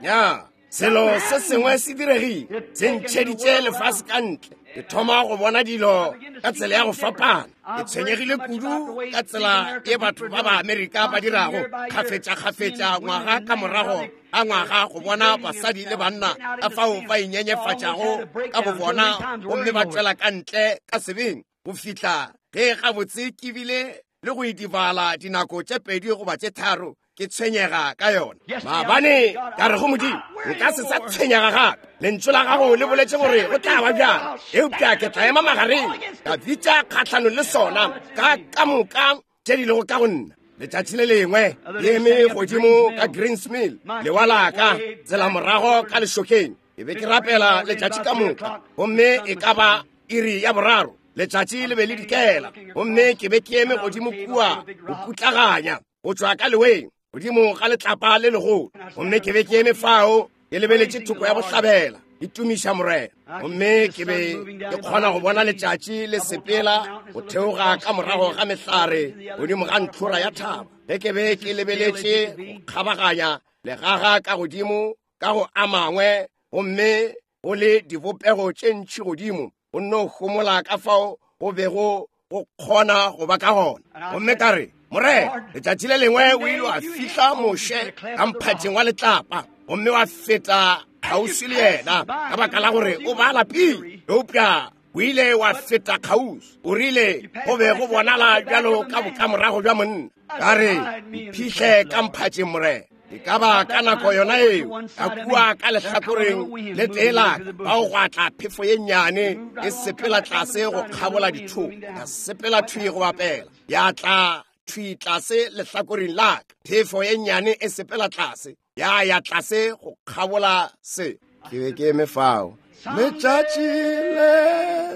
ya. Selo se sengwe se diregile, se ntšheditše lefase ka ntle. Ke thoma go bona dilo ka tsela ya go fapana. Ke tshwenyegile kudu ka tsela ye batho ba ba Amerika ba dirago kgafetša-kgafetša ngwaga ka morago ga ngwaga go bona basadi le banna ka fao ba inyenyefatšago ka bobona, gomme ba tšwela ka ntle ka sebeng go fihla ge gabotse ke bile le go idibala dinako tše pedi goba tše tharo ke tshwenyega ka yona. Maabane ka re go Modimo, nka se sa tshwenyega gape. Lentšu la gago le boletše gore go tla ba bjang, eupša ke tla ema magareng, ka bitša kgahlanong le sona ka ka moka tše di lego ka go nna. Letšatši le lengwe ke eme godimo ka Greens Mill, lewa la ka tsela morago ka lešokeng. Ke be ke rapela letšatši ka moka, gomme e ka ba iri ya boraro letšatši le be le dikela, gomme ke be ke eme godimo kua go putlaganya go tšwa ka leweng godimo ga letlapa le legolo, gomme ke be ke eme fao ke lebeletše thoko ya bohlabela ke tumiša Morena, gomme ke be ke kgona go bona letšatši le sepela go theoga ka morago ga mehlare godimo ga ntlhora ya thaba. Ge ke be ke lebeletše go kgabaganya legaga ka godimo ka go a mangwe, gomme go le dibopego tše ntši godimo, go nno homola ka fao go bego go kgona go ba ka gona. Gomme ka re, Morena, letšatši le lengwe o ile wa fihla Moshe ka mphatheng wa letlapa, gomme wa feta kgauswi le yena ka baka la gore o ba lapile, eupša o ile wa feta kgauswi. O rile go be go bonala bjalo ka bokamorago bja monna. Ka re, mphihle ka mphatheng, Morena. E ka ba ka nako yona eo, ka kua ka lehlakoreng le tee la ka, bao gwa tla phefo ye nnyane e sepela tlase go kgabola dithoko, ya sepela thwi go bapela, ya tla thwi tlase lehlakoreng la ka, phefo ye nnyane e sepela tlase, ya ya tlase go kgabola se. Ke be ke eme fao. Letšatši le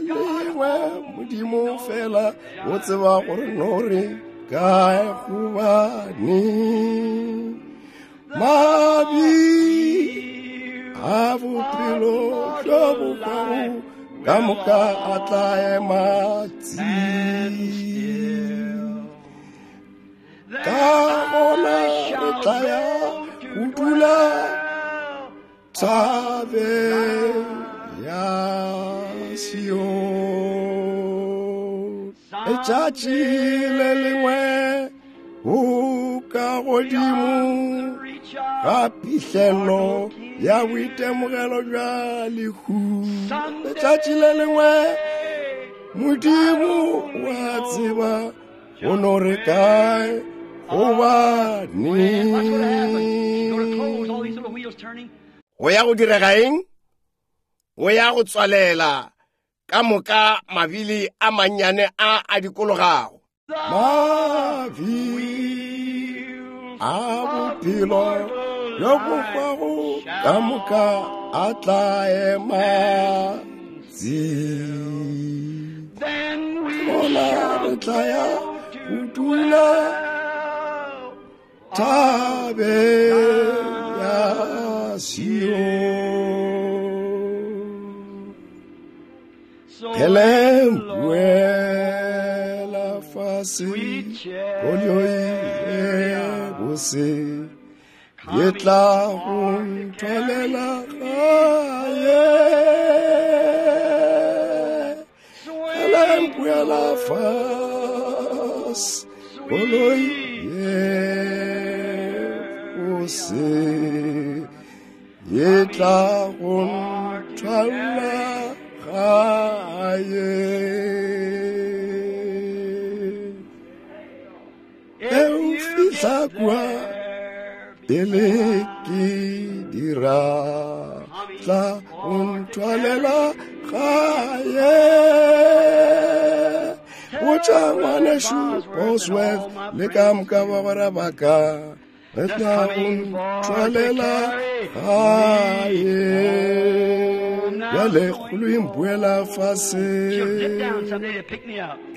lengwe Modimo fela o tseba gore no re kae gobane mabi a bophelo bjo bo hwago ka moka a tla ema tsi. Ka gona re tla ya go dula thabeng ya Sion. Letšatši le lengwe o ka godimo ga phihlello ya boitemogelo bja lehu. Letšatši le lengwe Modimo wa tseba go no re kae gobane. Go ya go direga eng? Go ya go tswalela ka moka mabili a mannyane a a dikologago. Mavi a bophelo bjo bo hwago ka moka a tla ema tsi. Gona re tla ya go dula thabeng ya Sion. Kele mpuela fase koloi e bose ye tla go nthwalela gae. Kele mpuela fase koloi ye bose ye tla go nthwalela gae. E o fihla kua pele ke dira tla go nthwalela gae. Botša ngwanešu Bosworth le ka moka bagwera ba ka re tla go nthwalela gae. Bjale kgolo e mpuela fase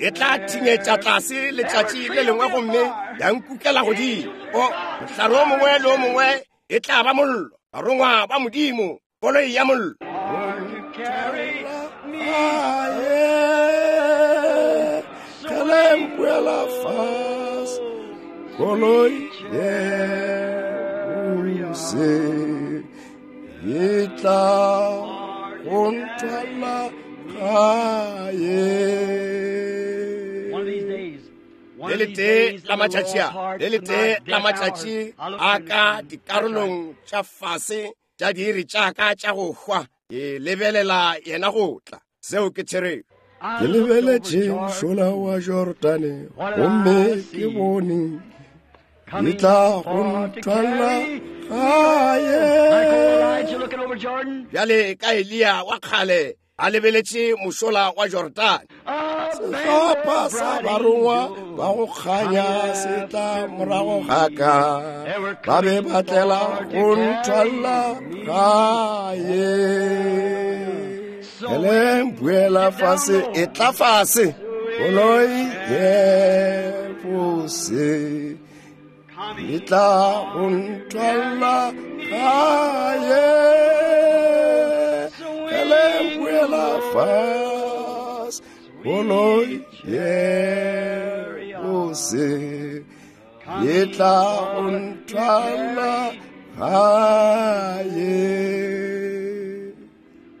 e tla thinyetša tlase letšatši le lengwe gomme ya nkukela godimo. O mohlare o mongwe le o mongwe e tla ba mollo, barongwa ba Modimo, koloi ya mollo. Kele mpuela fase koloi ye bose ye tla go nthwala gae. Le letee la matšatši a, le letee la matšatši a ka dikarolong tša fase tša diiri tša ka tša go hwa, ke lebelela yena go tla. Seo ke therešo. Ke lebeletše mošola wa Jordane gomme ke bone e tla go nthwala gae. Bjale ka Eliya wa kgale a lebeletše mošola wa Jordane, sehlopha sa barongwa ba go kganya se tla morago ga ka, ba be ba tlela go nthwala gae. Kele mpuela fase e tla fase koloi ye bose e tla go nthwala gae. Kele mpuela fase koloi ye bose e tla go nthwala gae.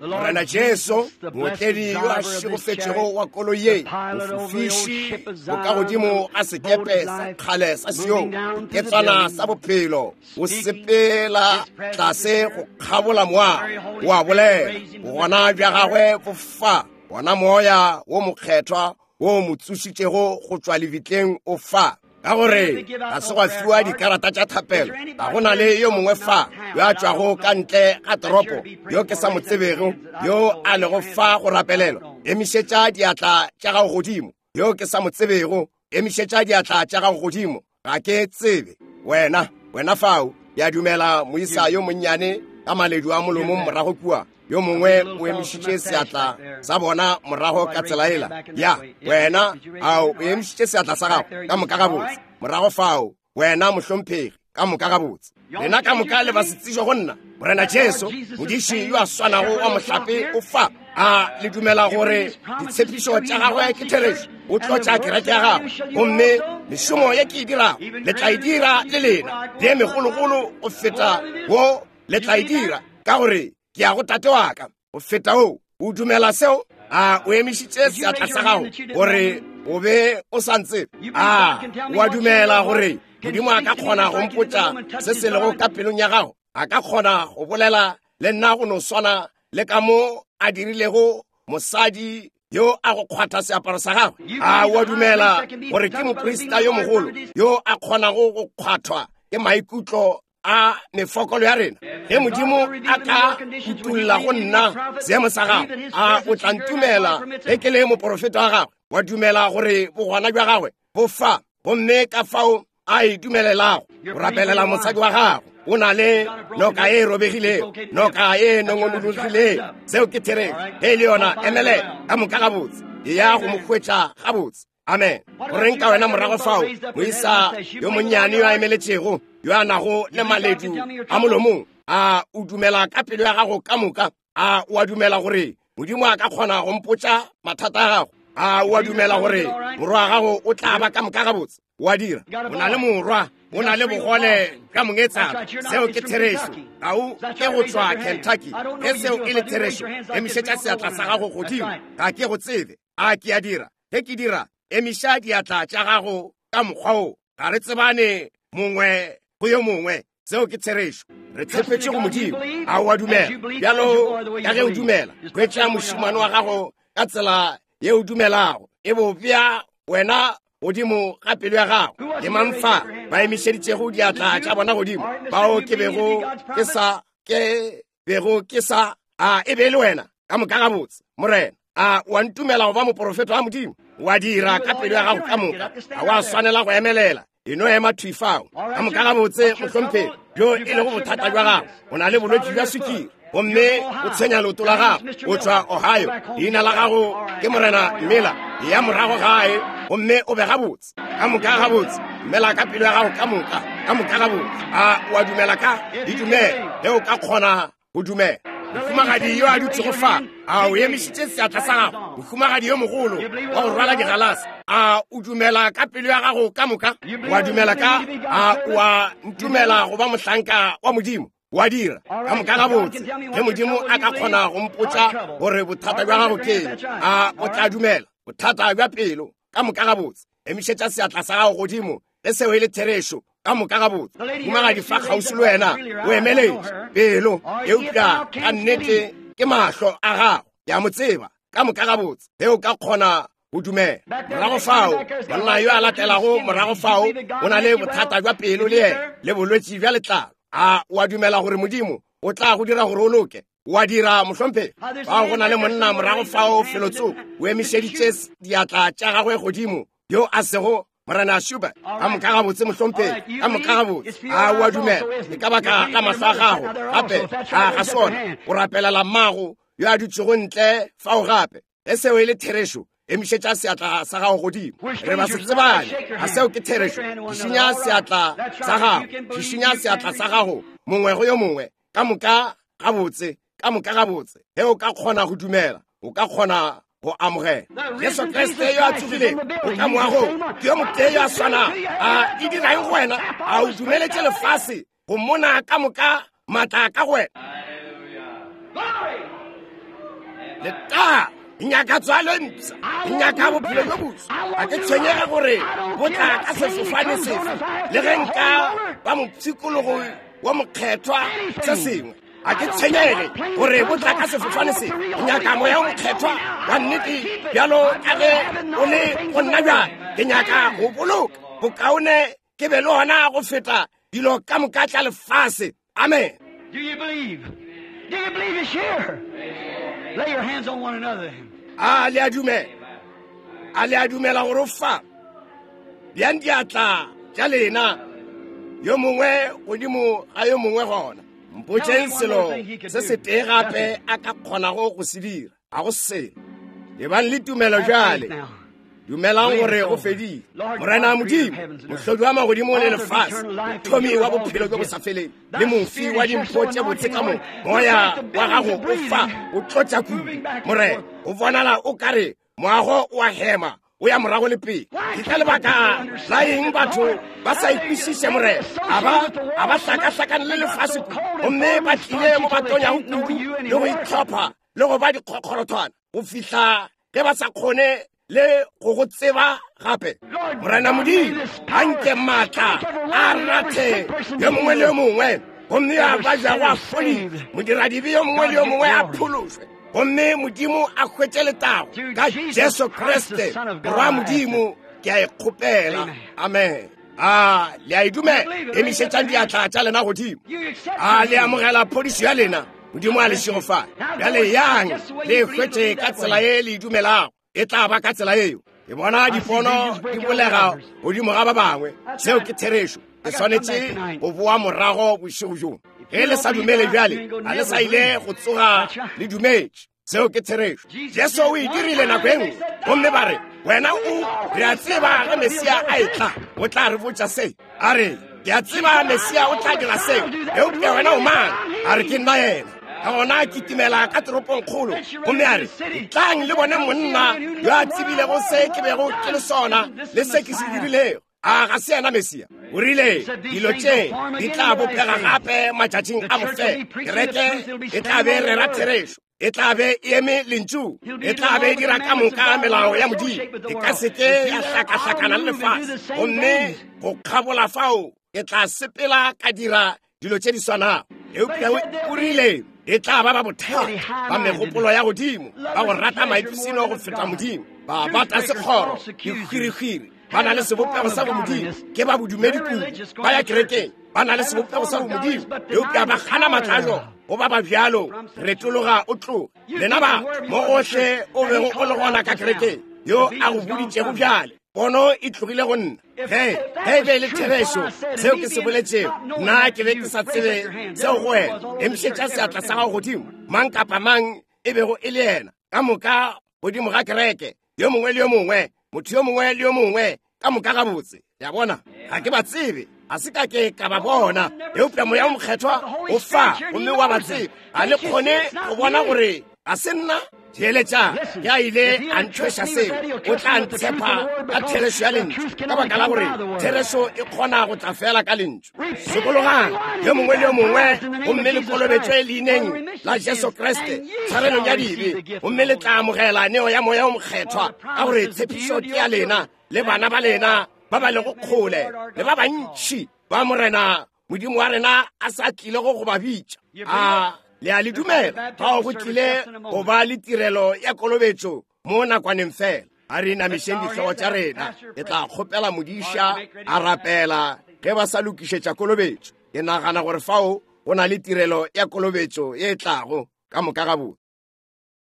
Morena Jesu, mootledi yo a šegofetšego wa koloi ye, mofofiši bokagodimo ga sekepe sa kgale sa Sion, ketswana sa bophelo, o sepela tlase go kgabola moago, o a bolela, bogona bja gagwe bo fa, wona moya wo mokgethwa wo mo tsošitšego go tšwa lebitleng o fa. Ka gore ga se gwa fiwa dikarata tša thapelo, ga go na le yo mongwe fa yo a tšwago ka ntle ga toropo yo ke sa mo tsebego yo a lego fa go rapelelwa. Emišetša diatla tša gago godimo. Yo ke sa mo tsebego, emišetša diatla tša gago godimo. Ga ke tsebe wena, wena fao. Ya dumela moisa yo monnyane ka maledu a molomong morago kua, yo mongwe o emišitše seatla sa bona morago ka tsela ela. Ya wena, ao o emišitše seatla sa gago ka moka gabotse morago fao. Wena mohlomphegi, ka moka gabotse. Lena ka moka le ba se tsejwa go nna. Morena Jesu, modiši yo a swanago wa mohlape o fa. A le dumela gore ditshepišo tša gagwe ke therešo? O tlotša kereke ya gagwe, gomme mešomo ye ke e dirago le tla e dira le lena, le megologolo go feta wo le tla e dira, ka gore ke ya go tate wa ka. Go feta o, o dumela seo? A o emišitše seatla sa gago gore o be o sa ntsebe? A o a dumela gore Modimo a ka kgona go mpotša se se lego ka pelong ya gago? A ka kgona go bolela le nna go no swana le ka mo a dirilego mosadi yo a go kgwatha seaparo sa gagwe? A o a dumela gore ke moprista yo mogolo yo a kgonago go kgwathwa ke maikutlo a mefokolo ya rena? Ge Modimo a ka utulla go nna seemo sa gago, a o tla ntumela ge ke le moporofeta wa gagwe? Wa dumela gore bogona bja gagwe bo fa, gomme ka fao a e dumelelago go rapelela mosadi wa gago? O na le noka e robegilego, noka e nongonologilego. Seo ke therešo. Ge e le yona, emelela ka moka gabotse, e ya go mo hwetša gabotse. Amen. Go reng ka wena morago fao, moisa yo monnyane yo a emeletšego yo a nago le maledu a molomong. A o dumela ka pelo ya gago ka moka? A o a dumela gore Modimo a ka kgona go mpotša mathata a gago? A o a dumela gore morwa wa gago o tla ba ka moka gabotse? O a dira. O na le morwa, o na le bogole ka mongetsana. Seo ke therešo. Ga o ke go tšwa Kentucky. Ge seo e le therešo, emišetša seatla sa gago godimo. Ga ke go tsebe. A ke a dira? Ge ke dira, emiša diatla tša gago ka mokgwa wo. Ga re tsebane mongwe go yo mongwe. Seo ke therešo. Re tshepetše go Modimo. A o a dumela? Bjalo ka ge o dumela, hwetša mošemane wa gago ka tsela ye o dumelago. E bo bea wena godimo ga pelo ya gago. Ke mang fa ba emišeditšego diatla tša bona godimo? Bao ke bego ke sa ke bego ke sa a e be le wena ka moka gabotse. Morena, a wa ntumela go ba moporofeta wa Modimo? Wa dira ka pelo ya gago ka moka. Ga wa swanela go emelela. E no ema thwi fao. Ka moka gabotse, mohlomphegi, bjo e lego bothata bja gago. O na le bolwetši bja sukiri gomme o tshwenya leoto la gago. O tšwa Ohio. Leina la gago ke Morena Miller. Ya morago gae gomme o be gabotse. Ka moka gabotse. Dumela ka pelo ya gago ka moka. Ka moka gabotse. A o a dumela ka? Di dumela. Ge o ka kgona go dumela. Mohumagadi yo a dutšego fa, a o emišitše seatla sa gago. Mohumagadi yo mogolo wa go rwala digalase, a o dumela ka pelo ya gago ka moka? Wa dumela ka? A o a ntumela go ba mohlanka wa Modimo? Wa dira. Ka moka gabotse. Ge Modimo a ka kgona go mpotša gore bothata bja gago ke eng, a o tla dumela? Bothata bja pelo. Ka moka gabotse. Emišetša seatla sa gago godimo. Ge seo e le therešo, ka moka gabotse. Mohumagadi fa kgauswi le wena o emeletše pelo, eupša ka nnete ke mahlo a gago. Ke a mo tseba. Ka moka gabotse. Ge o ka kgona go dumela. Morago fao, monna yo a latelago morago fao o na le bothata bja pelo le yena, le bolwetši bja letlalo. A o a dumela gore Modimo o tla go dira gore o loke? O a dira, mohlomphegi? Fao go na le monna morago fao felotsoko, o emišeditše diatla tša gagwe godimo, yo a sego Morena Schubert. Ka moka gabotse, mohlomphegi. Ka moka gabotse. A o a dumela? E ka baka la mahlo a gago gape, a ga sona. O rapelela mmago yo a dutšego ntle fao gape. Ge seo e le therešo, emišetša seatla sa gago godimo. Re ba se tsebane. A seo ke therešo? Šišinya seatla sa gago. Šišinya seatla sa gago mongwe go yo mongwe. Ka moka gabotse. Ka moka gabotse. Ge o ka kgona go dumela, o ka kgona go amogela. Jesu Kriste yo a tsogilego o ka moagong, ke yo motee yo a swanago. A e dira eng go wena? A o dumeletše lefase go mona ka moka maatla ka go wena? Letago. Ke nyaka tswalo e mpsha. Ke nyaka bophelo bjo boswa. Ga ke tshwenyege gore bo tla ka sefofane sefe, le ge nka ba mopshikologo wa mokgethwa se sengwe. Ga ke tshwenyege gore bo tla ka sefofane se. Ke nyaka moya o mokgethwa wa nnete bjalo ka ge o le go nna bjale. Ke nyaka go boloka bokaone ke be le ona go feta dilo ka moka tša lefase. Amen. Do you believe? Do you believe it's here? Lay your hands on one another. A le a dumela? A le a dumela gore o fa? Bjang diatla tša lena yo mongwe godimo ga yo mongwe gona. Mpotšeng selo se setee gape a ka kgonago go se dira. A go selo. Ebang le tumelo bjale. Dumelang gore go fedile. Morena Modimo, mohlodi wa magodimo le lefase, mothomi wa bophelo bjo bo sa feleng, le mofi wa dimpho tše botse ka moka, moya wa gago o fa o tlotša kudu. Morena, o bonala o kare moago o a hema, o ya morago le pele. Ke ka lebaka la eng batho ba sa ikwešiše, Morena? A ba a ba hlakahlakane le lefase kudu, gomme ba tlile mo ba tonyago kudu le go itlhopha le go ba dikgokgorothwana go fihla ge ba sa kgone le go go tseba gape. Morena Modimo, a nke maatla a rathe yo mongwe le yo mongwe, gomme a ba jago a fodile. Modiradibe yo mongwe le yo mongwe a phološwe, gomme Modimo a hwetše letago ka Jesu Kriste Morwa Modimo. Ke a e kgopela. Amen. A le a e dumela? Emišetšang diatla tša lena godimo. A le amogela phodišo ya lena? Modimo a le šegofale. Bjale yang le hwetše ka tsela ye le e dumelago. E tla ba ka tsela eo. Ke bona dipono di bolega godimo ga ba bangwe. Seo ke therešo. Ke swanetše go boa morago bošego bjo. Ge le sa dumele bjale, ga le sa ile go tsoga le dumetše. Seo ke therešo. Jesu o e dirile nako e nngwe, gomme ba re, wena o re a tseba ge Mesia a etla, o tla re botša se. A re, Ke a tseba Mesia o tla dira seo, eupša wena o mang? A re, ke nna yena. Ka gona a kitimela ka toropongkgolo gomme a re, tlang le bone monna yo a tsebilego se ke bego ke le sona le se ke se dirilego. A ga se yena Mesia? O rile, dilo tše di tla bopega gape matšatšing a bofelo. Kereke e tla be rera therešo, e tla be e eme lentšu, e tla be e dira ka moka melao ya Modimo, e ka se ke ya hlakahlakana le lefase. Gomme go kgabola fao e tla sepela ka dira dilo tše di swanago. Eupša o rile e tla ba ba bothata, ba megopolo ya godimo, ba go rata maipshino go feta Modimo, ba bata sekgoro, dihwirihwiri, ba na le sebopego sa bomodimo, ke ba bodumedi kudu, ba ya kerekeng, ba na le sebopego sa bomodimo, eupša ba gana matla a jona. Go ba ba bjalo, retologa o tloge. Lena ba mo gohle o bego o le gona ka kerekeng, yo a go boditšego bjale, pono e tlogile go nna. Ge ge e be le therešo seo ke se boletšego, nna ke be ke sa tsebe seo go wena. Emišetša seatla sa gago godimo, mang kapa mang e bego e le yena, ka moka godimo ga kereke, yo mongwe le yo mongwe, motho yo mongwe le yo mongwe, ka moka gabotse. Ya bona, ga ke ba tsebe, ga se ka ke ka ba bona, eupša Moya o Mokgethwa o fa gomme wa ba tseba. A le kgone go bona gore ga se nna? Theeletša, ke a ile a nthweša seo, o tla ntshepa ka therešo ya lentšu, ka baka la gore therešo e kgona go tla fela ka lentšu. Sokologang yo mongwe le yo mongwe, gomme le kolobetšwe leineng la Jesu Kriste tshwarelong ya dibe, gomme le tla amogela neo ya Moya o Mokgethwa, ka gore tshepišo ke ya lena le bana ba lena ba ba lego kgole le ba bantši ba Morena Modimo wa rena a sa tlilego go ba bitša. A le a le dumela? Fao go tlile go ba le tirelo ya kolobetšo mo nakwaneng fela. A re inamišeng dihlogo tša rena. Ke tla kgopela modiša a rapela ge ba sa lokišetša kolobetšo. Ke nagana gore fao go na le tirelo ya kolobetšo ye e tlago ka moka gabotse.